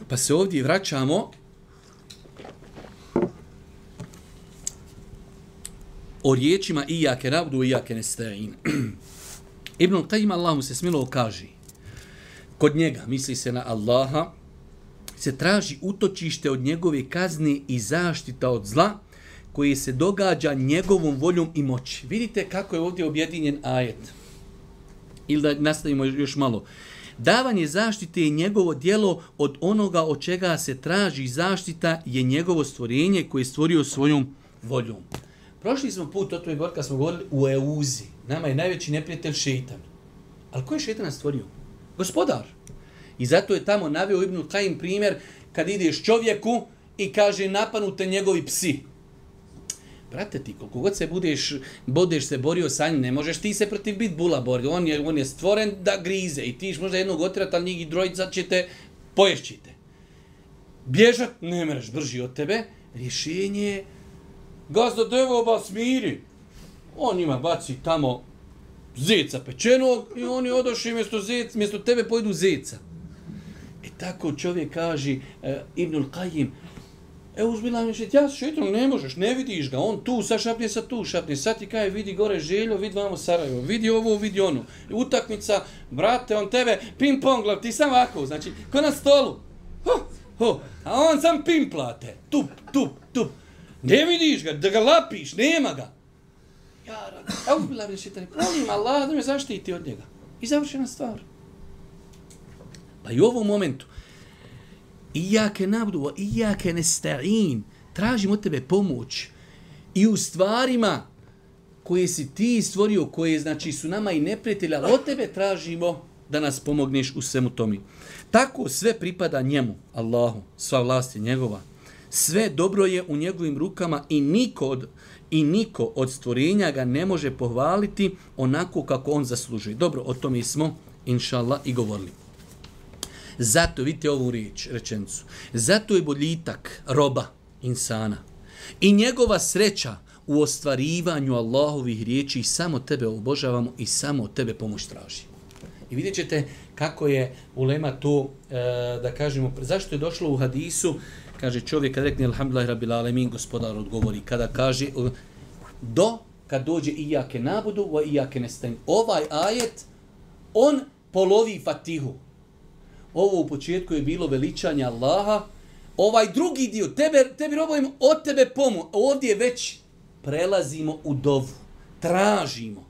Pa se ovdje vraćamo o riječima Iyake na'budu wa Iyake nesta'in. Ibn Qayyim Allah mu se smilo kaže, kod njega, misli se na Allaha, se traži utočište od njegove kazne i zaštita od zla koje se događa njegovom voljom i moći. Vidite kako je ovdje objedinjen ajet. Ili da nastavimo još malo. Davanje zaštite je njegovo djelo, od onoga od čega se traži zaštita je njegovo stvorenje koje je stvorio svojom voljom. Prošli smo put o tome govor kad smo govorili u Euzi. Nama je najveći neprijatelj šeitan. Ali ko je šeitan stvorio? Gospodar. I zato je tamo naveo Ibn Qayyim primjer kad ideš čovjeku i kaže napanute njegovi psi. Brate ti, koliko god se budeš se borio sa njim, ne možeš ti se protiv bit bula borio. On je stvoren da grize i ti možda jednog otirati, ali njih drojica ćete, poješćite. Bježat, ne mreš, brži od tebe. Rješenje je gazda devoba smiri. On ima baci tamo zeca pečenog i oni odošli mjesto tebe pojedu zeca. E tako čovjek kaže Ibnul Qayyim, uzbila mi ja šetom ne možeš, ne vidiš ga, on tu, sad šapne, sad tu šapne, sad ti kaže vidi gore Željo, vidi vamo Sarajevo, vidi ovo, vidi ono. Utakmica, brate, on tebe ping-pong glav, ti sam ovako, znači, ko na stolu. A on sam pimplate, tup. Ne vidiš ga, da ga lapiš, nema ga. Ja rad, uzbila mi šetom, molim Allah da me zaštiti od njega. I završena stvar. Pa i u ovom momentu, Iyake na'budu wa Iyake nesta'in. Tražimo od tebe pomoć i u stvarima koje si ti stvorio, koje znači su nama i neprijatelji, ali od tebe tražimo da nas pomogneš u svemu tomi. Tako sve pripada njemu, Allahu, sva vlast je njegova. Sve dobro je u njegovim rukama i niko od stvorenja ga ne može pohvaliti onako kako on zaslužuje. Dobro, o tome smo, inšallah, i govorili. Zato, vidite ovu rečenicu, zato je boljitak roba, insana, i njegova sreća u ostvarivanju Allahovih riječi, samo tebe obožavamo i samo od tebe pomoć traži. I vidjet ćete kako je ulema to, da kažemo, zašto je došlo u hadisu, kaže čovjek kad rekne alhamdulillah rabbil alemin, gospodar odgovori, kada kaže, kad dođe Iyake na'budu wa Iyake nesta'in. Ovaj ajet, on polovi Fatihu. Ovo u početku je bilo veličanje Allaha. Ovaj drugi dio, tebi robujemo od tebe pomoć. Ovdje već prelazimo u dovu. Tražimo.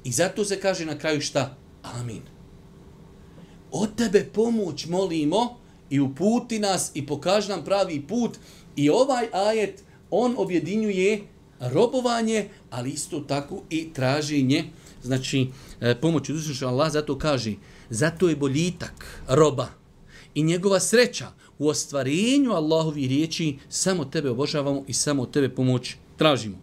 I zato se kaže na kraju šta? Amin. Od tebe pomoć molimo i uputi nas i pokaži nam pravi put. I ovaj ajet, on objedinjuje robovanje, ali isto tako i traženje. Znači, pomoć uzvišenog Allah, zato kaže, zato je boljitak roba i njegova sreća u ostvarenju Allahovih riječi, samo tebe obožavamo i samo tebe pomoć tražimo.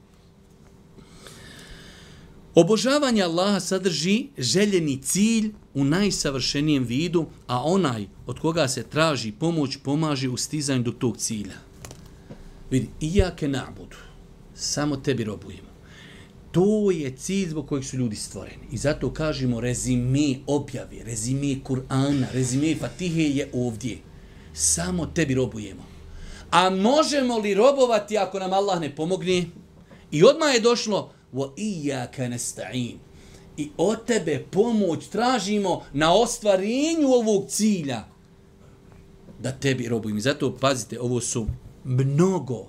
Obožavanje Allaha sadrži željeni cilj u najsavršenijem vidu, a onaj od koga se traži pomoć pomaže u stizanju do tog cilja. Vidi, Iyake na'budu. samo tebi robujemo. To je cilj zbog kojeg su ljudi stvoreni. I zato kažemo rezime objave, rezime Kur'ana, rezime Fatihe je ovdje. Samo tebi robujemo. A možemo li robovati ako nam Allah ne pomogne? I odmah je došlo وَإِيَّاكَ نَسْتَعِينَ. I od tebe pomoć tražimo na ostvarenju ovog cilja. Da tebi robujemo. I zato pazite, ovo su mnogo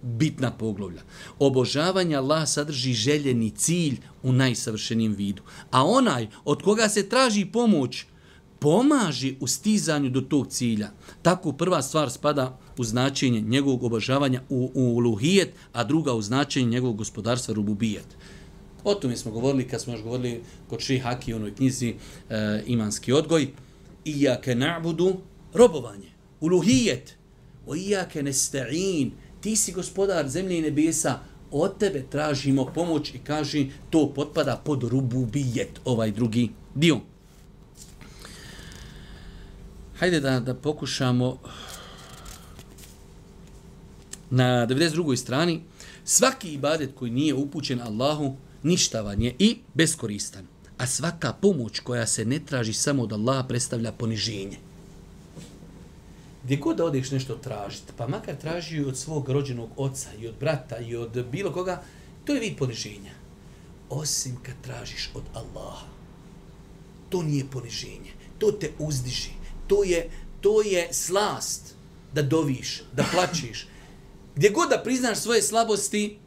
bitna poglavlja. Obožavanje Allah sadrži željeni cilj u najsavršenijem vidu. A onaj od koga se traži pomoć, pomaži u stizanju do tog cilja. Tako prva stvar spada u značenje njegovog obožavanja u uluhijet, a druga u značenje njegovog gospodarstva rububijet. O tome smo govorili kad smo još govorili kod Šejh Haki u onoj knjizi Imanski odgoj. Iyake na'budu, robovanje, uluhijet. O iyake nesta'in, ti si gospodar zemlje i nebesa, od tebe tražimo pomoć i kaži to potpada pod rububijet, ovaj drugi dio. Hajde da pokušamo na 92. strani. Svaki ibadet koji nije upućen Allahu ništavan je i beskoristan. A svaka pomoć koja se ne traži samo od Allaha predstavlja poniženje. Gdje god da odeš nešto tražiti, pa makar traži od svog rođenog oca i od brata i od bilo koga, to je vid poniženja. Osim kad tražiš od Allaha. To nije poniženje. To te uzdiži. To je slast da doviš, da plačiš. Gdje god da priznaš svoje slabosti,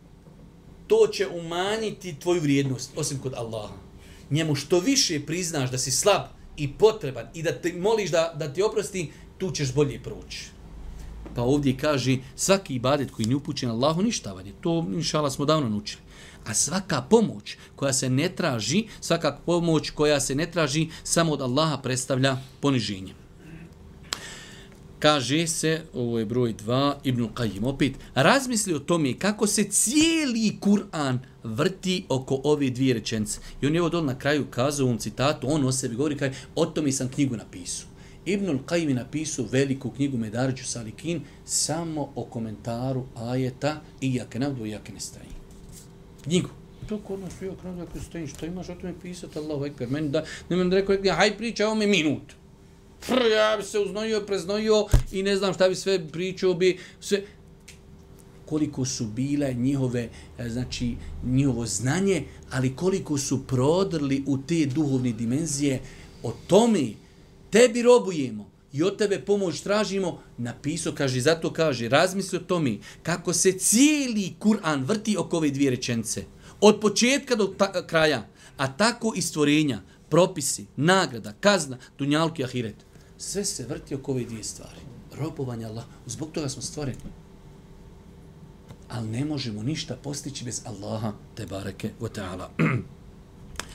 to će umanjiti tvoju vrijednost, osim kod Allaha. Njemu što više priznaš da si slab i potreban i da te moliš da ti oprosti, tu ćeš bolje proći. Pa ovdje kaže, svaki ibadet koji ne upućen Allahu ništavan je. To, inšala, smo davno naučili. A svaka pomoć koja se ne traži, samo od Allaha predstavlja poniženje. Kaže se, ovo je broj 2, Ibnul Qajim opet, razmisli o tome kako se cijeli Kur'an vrti oko ove dvije rečenice. I on je ovo dole na kraju kazao u ovom citatu, on o sebi govori, kaže, o tome sam knjigu napisao. Ibnul Qajim je napisao veliku knjigu Medaređu Salikin samo o komentaru ajeta Iyake na'budu wa iyake nesta'in. Knjigu. To kod nas Iyake na'budu wa iyake nesta'in, što imaš o tome pisati, Allahu ekber. Meni da, nemam da rekao, haj priča o me minut. Ja bi se uznojio, preznojio i ne znam šta bi sve pričao bi. Sve. Koliko su bile njihovo znanje, ali koliko su prodrli u te duhovne dimenzije, o tome tebi robujemo i od tebe pomoć tražimo, napisao, zato kaže, razmisli o tome kako se cijeli Kur'an vrti oko ove dvije rečenice. Od početka do kraja, a tako i stvorenja, propisi, nagrada, kazna, dunjaluk i ahiret. Sve se vrti oko ove dvije stvari. Robovanje Allah. Zbog toga smo stvoreni. Ali ne možemo ništa postići bez Allaha te bareke ve taala.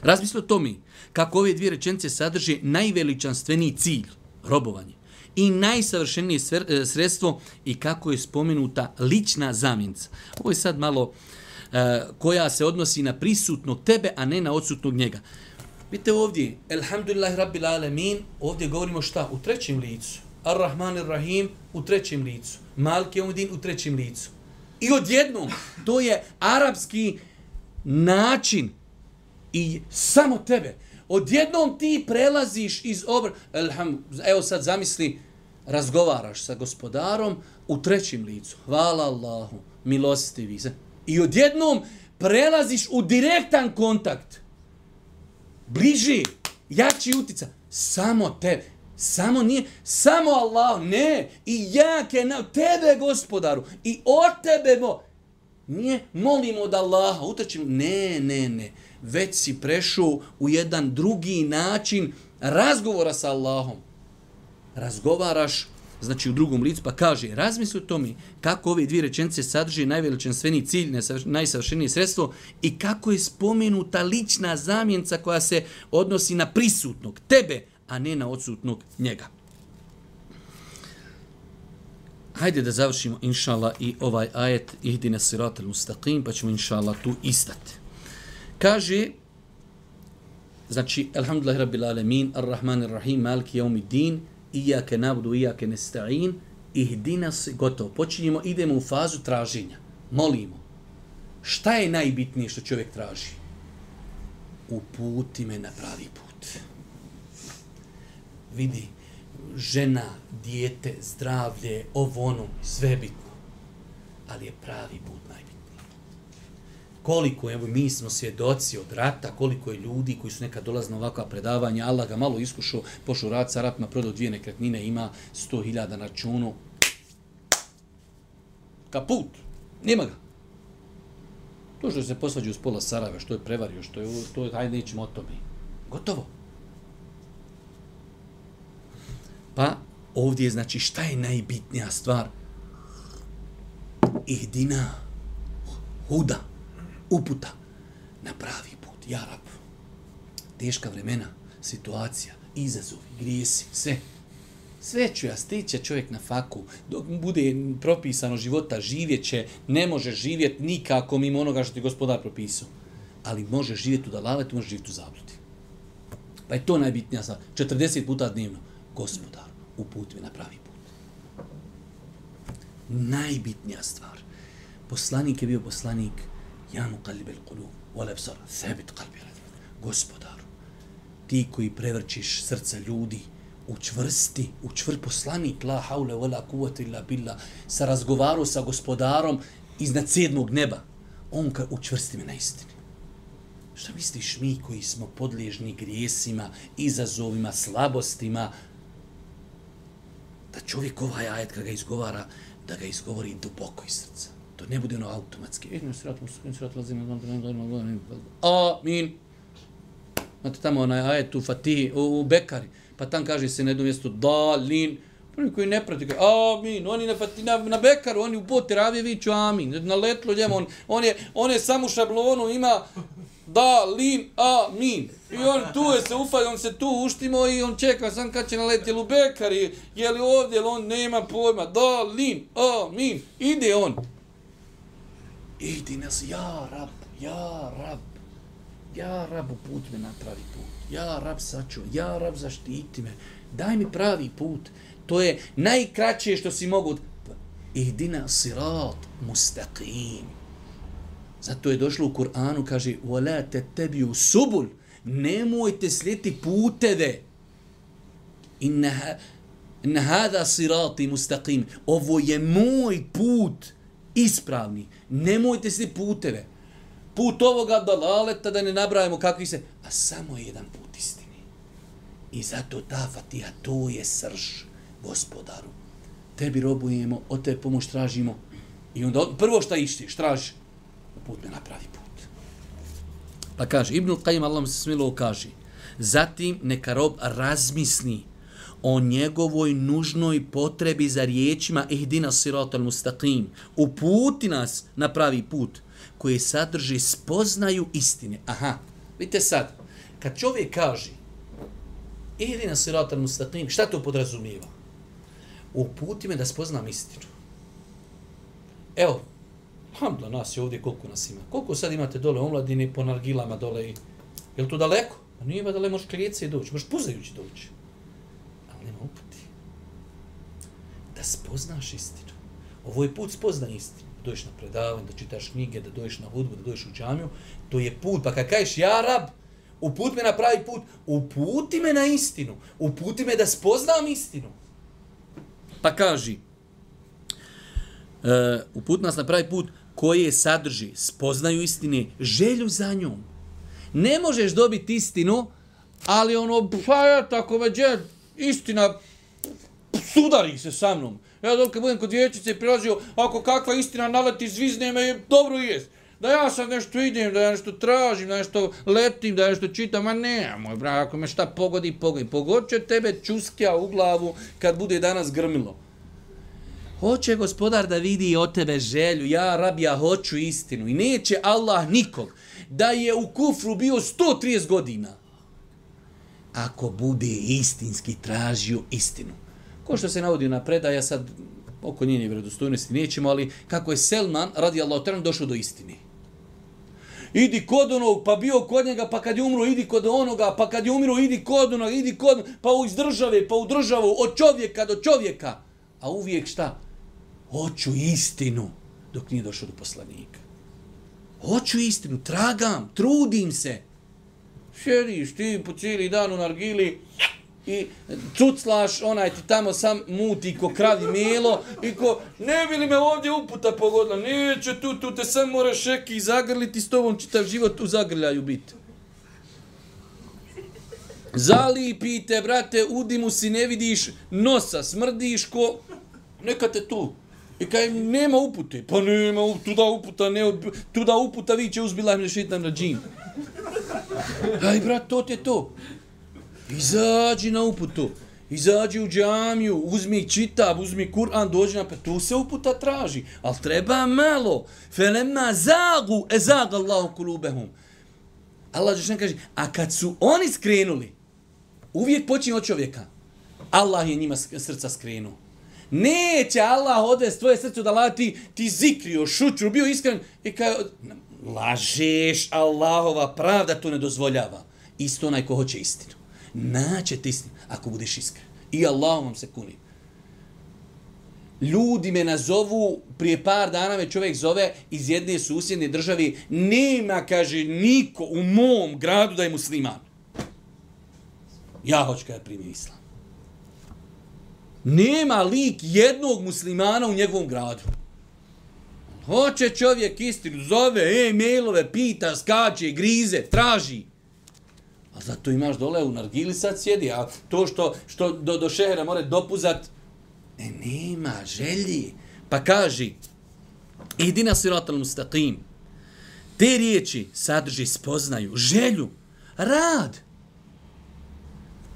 Razmisli o tome kako ove dvije rečenice sadrže najveličanstveniji cilj, robovanje, i najsavršenije sredstvo i kako je spomenuta lična zamjenica. Ovo je sad malo koja se odnosi na prisutnog tebe, a ne na odsutnog njega. Vidite ovdje, Elhamdulillahi Rabbil Alamin, ovdje govorimo šta? U trećem licu. Ar-Rahman Ar-Rahim u trećem licu. Maliki Jevmiddin u trećem licu. I odjednom, to je arapski način i samo tebe. Odjednom ti prelaziš iz evo sad zamisli, razgovaraš sa gospodarom u trećem licu. Hvala Allahu, milostivi. I odjednom prelaziš u direktan kontakt. Bliži, jači utica. Samo tebe. Samo Allah, ne. I jake na tebe, gospodaru. I od tebe nije molimo od Allaha, utrčimo. Ne. Već si prešao u jedan drugi način razgovora sa Allahom. Razgovaraš, znači u drugom licu, pa kaže, razmisli o tome kako ove dvije rečenice sadrže najveličanstveniji cilj, najsavršenije sredstvo i kako je spomenuta lična zamjenica koja se odnosi na prisutnog, tebe, a ne na odsutnog njega. Hajde da završimo, inšallah, i ovaj ajet ihdina siratal mustaqim, pa ćemo, inšallah, tu istati. Kaže, znači, Alhamdulillahi Rabbil Alamin, Ar-Rahman Ar-Rahim, Maliki Jevmiddin, Iyake na'budu wa iyake nesta'in, ihdina, gotovo. Počinjemo, idemo u fazu traženja. Molimo. Šta je najbitnije što čovjek traži? Uputi me na pravi put. Vidi, žena, dijete, zdravlje, ovo ono, sve je bitno. Ali je pravi put najbitniji. Koliko, evo, mi smo svjedoci od rata, koliko je ljudi koji su nekad dolazili na ovakva predavanja, Allah ga malo iskušao, pošao rat sa Arapima, prodao 2 nekretnine, ima 100.000 na računu. Kaput, nema ga. To što se posvađaju s pola Sarajeva, što je prevario, što je, hajde nećemo o tome. Gotovo. Pa ovdje je, znači, šta je najbitnija stvar? Ihdina, huda, uputa na pravi put. Ja Rab, teška vremena, situacija, izazovi, grijesi, sve. Sve ću ja, stiće čovjek na faku, dok bude propisano života, živjet će, ne može živjeti nikako mimo onoga što ti gospodar propisao. Ali može živjeti u dalaletu, može živjeti u zabludi. Pa je to najbitnija stvar. 40 puta dnevno. Gospodar, uputi me na pravi put. Najbitnija stvar. Poslanik je bio poslanik. Ja muqallibel qulub wal absar, thabit qalbi. Gospodaru, ti koji prevrćiš srca ljudi, učvrsti poslanik, la haule wala kuvvete illa billah, sa razgovaru sa gospodarom iznad 7. neba. On ka učvrsti me na istini. Šta misliš mi koji smo podliježni grijesima, izazovima, slabostima, da čovjek ovaj ajet kada ga izgovara, da ga izgovori duboko iz srca. To ne bude ono automatski. Amin. Znate tamo onaj ajet u Fatihi, u Bekari, pa tam kaže se na jednom mjestu dalin. Prvi koji ne prati, amin. Oni na Bekaru, oni u Poteravije viću amin. Na letlo njemu, on je samo šablonu, ima dalin, amin. I on tu je se ufaj, on se tu uštimo i on čeka sam kad će naletiti, jel u Bekari, jel ovdje, jel on nema pojma, dalin, amin. Ide on. Idi nas, ja Rab, ja Rab. Ja Rab, uputi me na pravi put. Ja Rab, sačuvaj. Ja Rab, zaštiti me. Daj mi pravi put. To je najkraće što si mogu. Ihdina sirat mustaqim. Zato je došlo u Kur'anu, kaže وَلَا تَتَّبِيُوا subul. Nemojte slijediti puteve. Inna hada sirati mustaqim. Ovo je moj put ispravni. Nemojte slijediti puteve. Put ovoga dalaleta, da ne nabrajamo kakvi se, a samo je jedan put istini. I zato ta Fatiha, to je srž, gospodaru. Tebi robujemo, od tebe pomoć tražimo. I onda prvo šta išćeš, tražiš, put me na pravi put. Pa kaže, Ibnul Qajim, Allah mu se smilo kaže, zatim neka rob razmisli o njegovoj nužnoj potrebi za riječima ihdina siratal mustaqim. Uputi nas na pravi put, koje sadrži spoznaju istine. Aha, vidite sad, kad čovjek kaže ihdina siratal mustaqim, šta to podrazumijeva? Uputi me da spoznam istinu. Evo, alhamdulillah, nas je ovdje, koliko nas ima? Koliko sad imate dole omladine po nargilama dole? Je li to daleko? Pa nije ba daleko, možeš klijece doći, možeš puzajući doći. Ali nema uputi. Da spoznaš istinu. Ovo je put spozna istinu. Da dođeš na predavanje, da čitaš knjige, da dođeš na hudbu, da dođeš u džamiju. To je put. Pa kad kažeš, ja Rab, uputi me na pravi put, uputi me na istinu. Uputi me da spoznam istinu. Pa kaži, uputi nas na pravi put koje sadrži spoznaju istine, želju za njom. Ne možeš dobiti istinu, ali ono, pa ja tako veđe, istina, sudari se sa mnom. Ja dok budem kod vječice i prilazio, ako kakva istina naleti, zvizne me, dobro jest. Da ja sad nešto idem, da ja nešto tražim, da nešto letim, da ja nešto čitam, a ne, moj brak, ako me šta pogodi, pogodi. Pogod će tebe čuskja u glavu kad bude danas grmilo. Hoće gospodar da vidi od tebe želju, ja Rab, ja hoću istinu. I neće Allah nikog da je u kufru bio 130 godina. Ako bude istinski tražio istinu. Ko što se navodi na predaj, ja sad oko njene vjerodostojnosti nećemo, ali kako je Selman, radijallahu ta'ala, došao do istine. Idi kod onog, pa bio kod njega, pa kad je umro, idi kod onoga, pa kad je umro, idi kod onoga, idi kod, pa iz države, pa u državu, od čovjeka do čovjeka. A uvijek šta? Hoću istinu, dok nije došao do poslanika. Hoću istinu, tragam, trudim se. Sjediš ti po cijeli dan u nargili i cuclaš, onaj ti tamo sam muti ko kravi melo i ko, ne bi li me ovdje uputa pogodila, neće tu te sam moraš šeki zagrliti, s tobom čitav život u zagrljaju biti. Zalipite, brate, u dimu si ne vidiš nosa, smrdiš ko, neka te tu. I kaj nema upute, pa nema tuda uputa viće uzbila im šeitan rađim. Aj, brat, to ti je to. Izađi na uputu, izađi u džamiju, uzmi čitab, uzmi Kur'an, dođi na tu se uputa traži, ali treba malo. Felemma zagu, ezaga Allahu kulubehum. Allah džešan kaže, a kad su oni skrenuli, uvijek počinje od čovjeka. Allah je njima srca skrenuo. Neće Allah odvesti tvoje srce da lati, ti zikrio, šuću, bio iskren. I kaj, lažeš, Allahova pravda to ne dozvoljava. Isto onaj ko hoće istinu. Naćete istinu, ako budeš iskren. I Allahom vam se kuni. Ljudi me nazovu, prije par dana me čovjek zove iz jedne susjedne države, nema, kaže, niko u mom gradu da je musliman. Ja hoću kada primio islam. Nema lik jednog muslimana u njegovom gradu. Hoće čovjek istinu, zove, mailove, pita, skače, grize, traži. A zato imaš dole u nargili sad sjedi, a to što do šehera more dopuzat, nema želji. Pa kaži, idina siratal mustaqim. Te riječi sadrži spoznaju, želju, rad.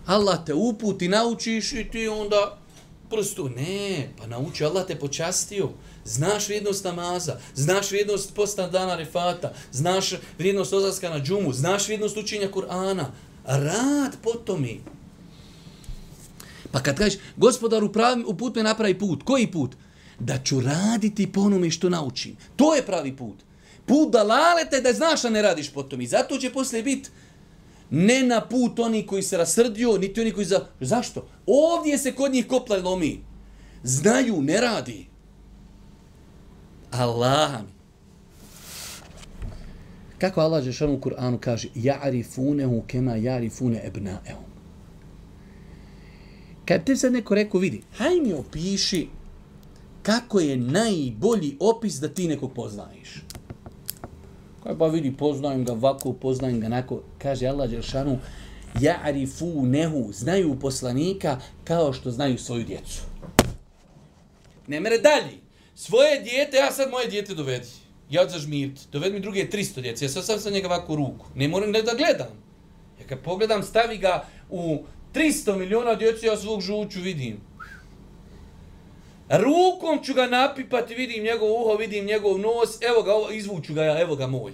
Allah te uputi, naučiš i ti onda prosto, ne, pa nauči, Allah te počastio. Znaš vrijednost namaza, znaš vrijednost posta dana Arefata, znaš vrijednost odlaska na džumu, znaš vrijednost učenja Kur'ana. Rad po tome. Pa kad kažeš, gospodaru, uput me na pravi put. Koji put? Da ću raditi po onome što naučim. To je pravi put. Put dalalete da znaš da ne radiš po tome. I zato će poslije biti ne na put oni koji se rasrdio, niti oni koji Zašto? Ovdje se kod njih kopla lomi. Znaju, ne radi. Allah mi. Kako Allah Žešanu u Kur'anu kaže, ja'rifunehu kema ja'rifune ebnaehum. Kad te sad neko rekao, vidi, haj mi opiši kako je najbolji opis da ti nekog poznaješ. Kaj pa vidi, poznajem ga ovako, poznajem ga onako. Kaže Allah Žešanu, ja'rifunehu, znaju poslanika kao što znaju svoju djecu. Ne mere dalje. Svoje dijete, ja sad moje dijete dovedi. Ja zažmiriti. Dovedi mi druge 300 djece. Ja sad sam njega ovako u ruku. Ne moram da gledam. Ja kad pogledam, stavi ga u 300 miliona djece, ja svog žuću vidim. Rukom ću ga napipati, vidim njegov uho, vidim njegov nos, evo ga, izvuću ga ja, evo ga moj.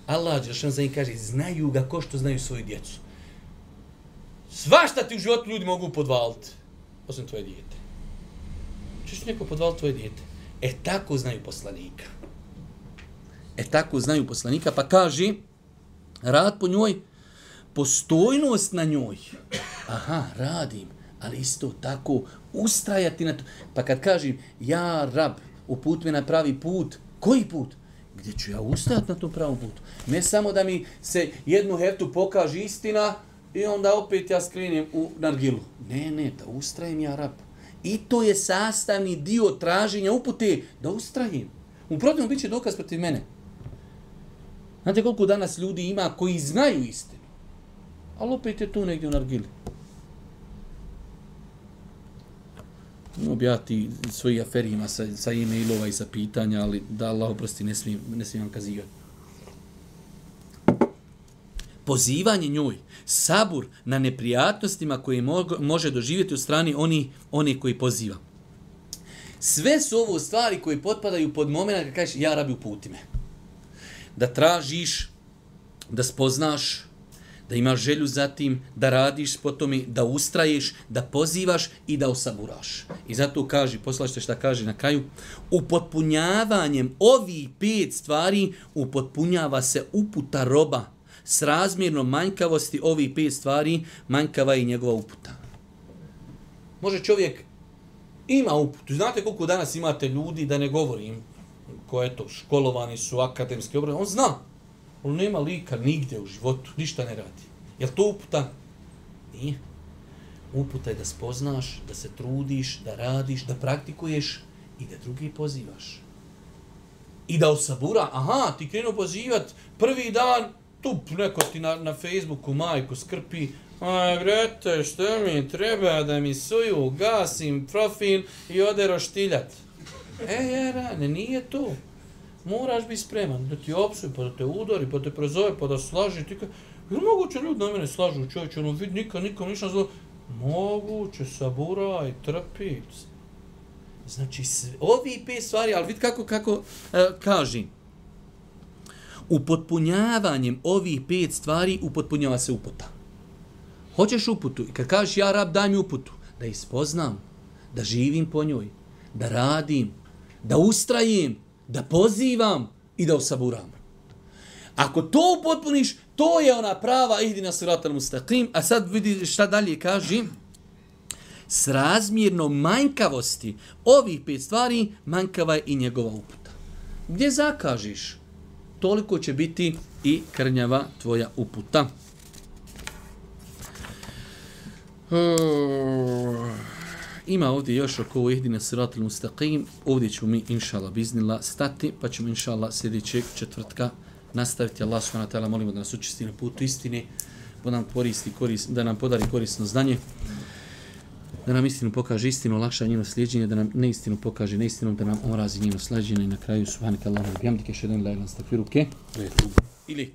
Allah dželešan za njih kaže, znaju ga ko što znaju svoju djecu. Svašta ti u životu ljudi mogu podvaliti, osim tvoje dijete. Češ neko podvaliti tvoje dijete? Tako znaju poslanika. Tako znaju poslanika, pa kaže, rad po njoj, postojnost na njoj. Aha, radim, ali isto tako ustrajati na to. Pa kad kažem, ja rab, uput me na pravi put, koji put? Gdje ću ja ustajati na tom pravom putu? Ne samo da mi se jednu heftu pokaže istina i onda opet ja skrenem u nargilu. Ne, da ustrajem ja rab. I to je sastavni dio traženja upute, da ustrajem. U protivnom bit će dokaz protiv mene. Znate koliko danas ljudi ima koji znaju istinu, ali opet je tu negdje u nargili. Objati svoji aferima sa e-mailova i sa pitanja, ali da Allah oprosti, ne smijem vam kazivati. Pozivanje njoj, sabur na neprijatnostima koje može doživjeti u strani oni koji poziva. Sve su ovo stvari koje potpadaju pod moment kad kažeš, ja rabi uputi me. Da tražiš, da spoznaš, da imaš želju za tim, da radiš po tome, da ustraješ, da pozivaš i da osaburaš. I zato kaže, poslušajte šta kaže na kraju, upotpunjavanjem ovih 5 stvari upotpunjava se uputa roba. S razmjernom manjkavosti ovih 5 stvari manjkava i njegova uputa. Može čovjek ima uputu. Znate koliko danas imate ljudi, da ne govorim ko eto, školovani su, akademski obrazovani, on zna. On nema lika nigdje u životu, ništa ne radi. Je li to uputa? Nije. Uputa je da spoznaš, da se trudiš, da radiš, da praktikuješ i da drugi pozivaš. I da osabura, aha, ti krenuo pozivat, prvi dan, tup, neko ti na Facebooku majku skrpi, aj, brate, što mi treba da mi suju, gasim profil i ode roštiljat. Rane, nije to. Moraš biti spreman da ti opsuje, pa da te udari, pa da te prezove, pa da slaži. Ti je moguće ljudi na mene slažu, čovječe, ono vidi nikom ništa zlo. Moguće, saburaj, trpi. Znači, ovi 5 stvari, ali vidi kako kaži. Upotpunjavanjem ovih 5 stvari upotpunjava se uputa. Hoćeš uputu i kad kažeš ja rab daj mi uputu, da ih spoznam, da živim po njoj, da radim, da ustrajem, da pozivam i da osaburam. Ako to upotpuniš, to je ona prava ihdina siratal mustaqim, a sad vidi šta dalje kaže. S razmjerno manjkavosti ovih 5 stvari manjkava je i njegova uputa. Gdje zakažiš, toliko će biti i krnjava tvoja uputa. Ima ovdje još oko ovo ihdina siratal mustaqim. Ovdje ćemo mi, inšallah, biznillah, stati, pa ćemo, inšallah, sljedećeg četvrtka nastaviti. Allah subhanahu wa ta'ala, molimo da nas učisti na putu istine, da nam podari korisno znanje, da nam istinu pokaže istinu, olakša njeno slijedženje, da nam neistinu pokaže neistinu, da nam omrazi njeno slijedženje i na kraju subhanaka Allahumma wa bihamdika ashhadu an la ilaha illa anta astaghfiruka wa atubu ilayk.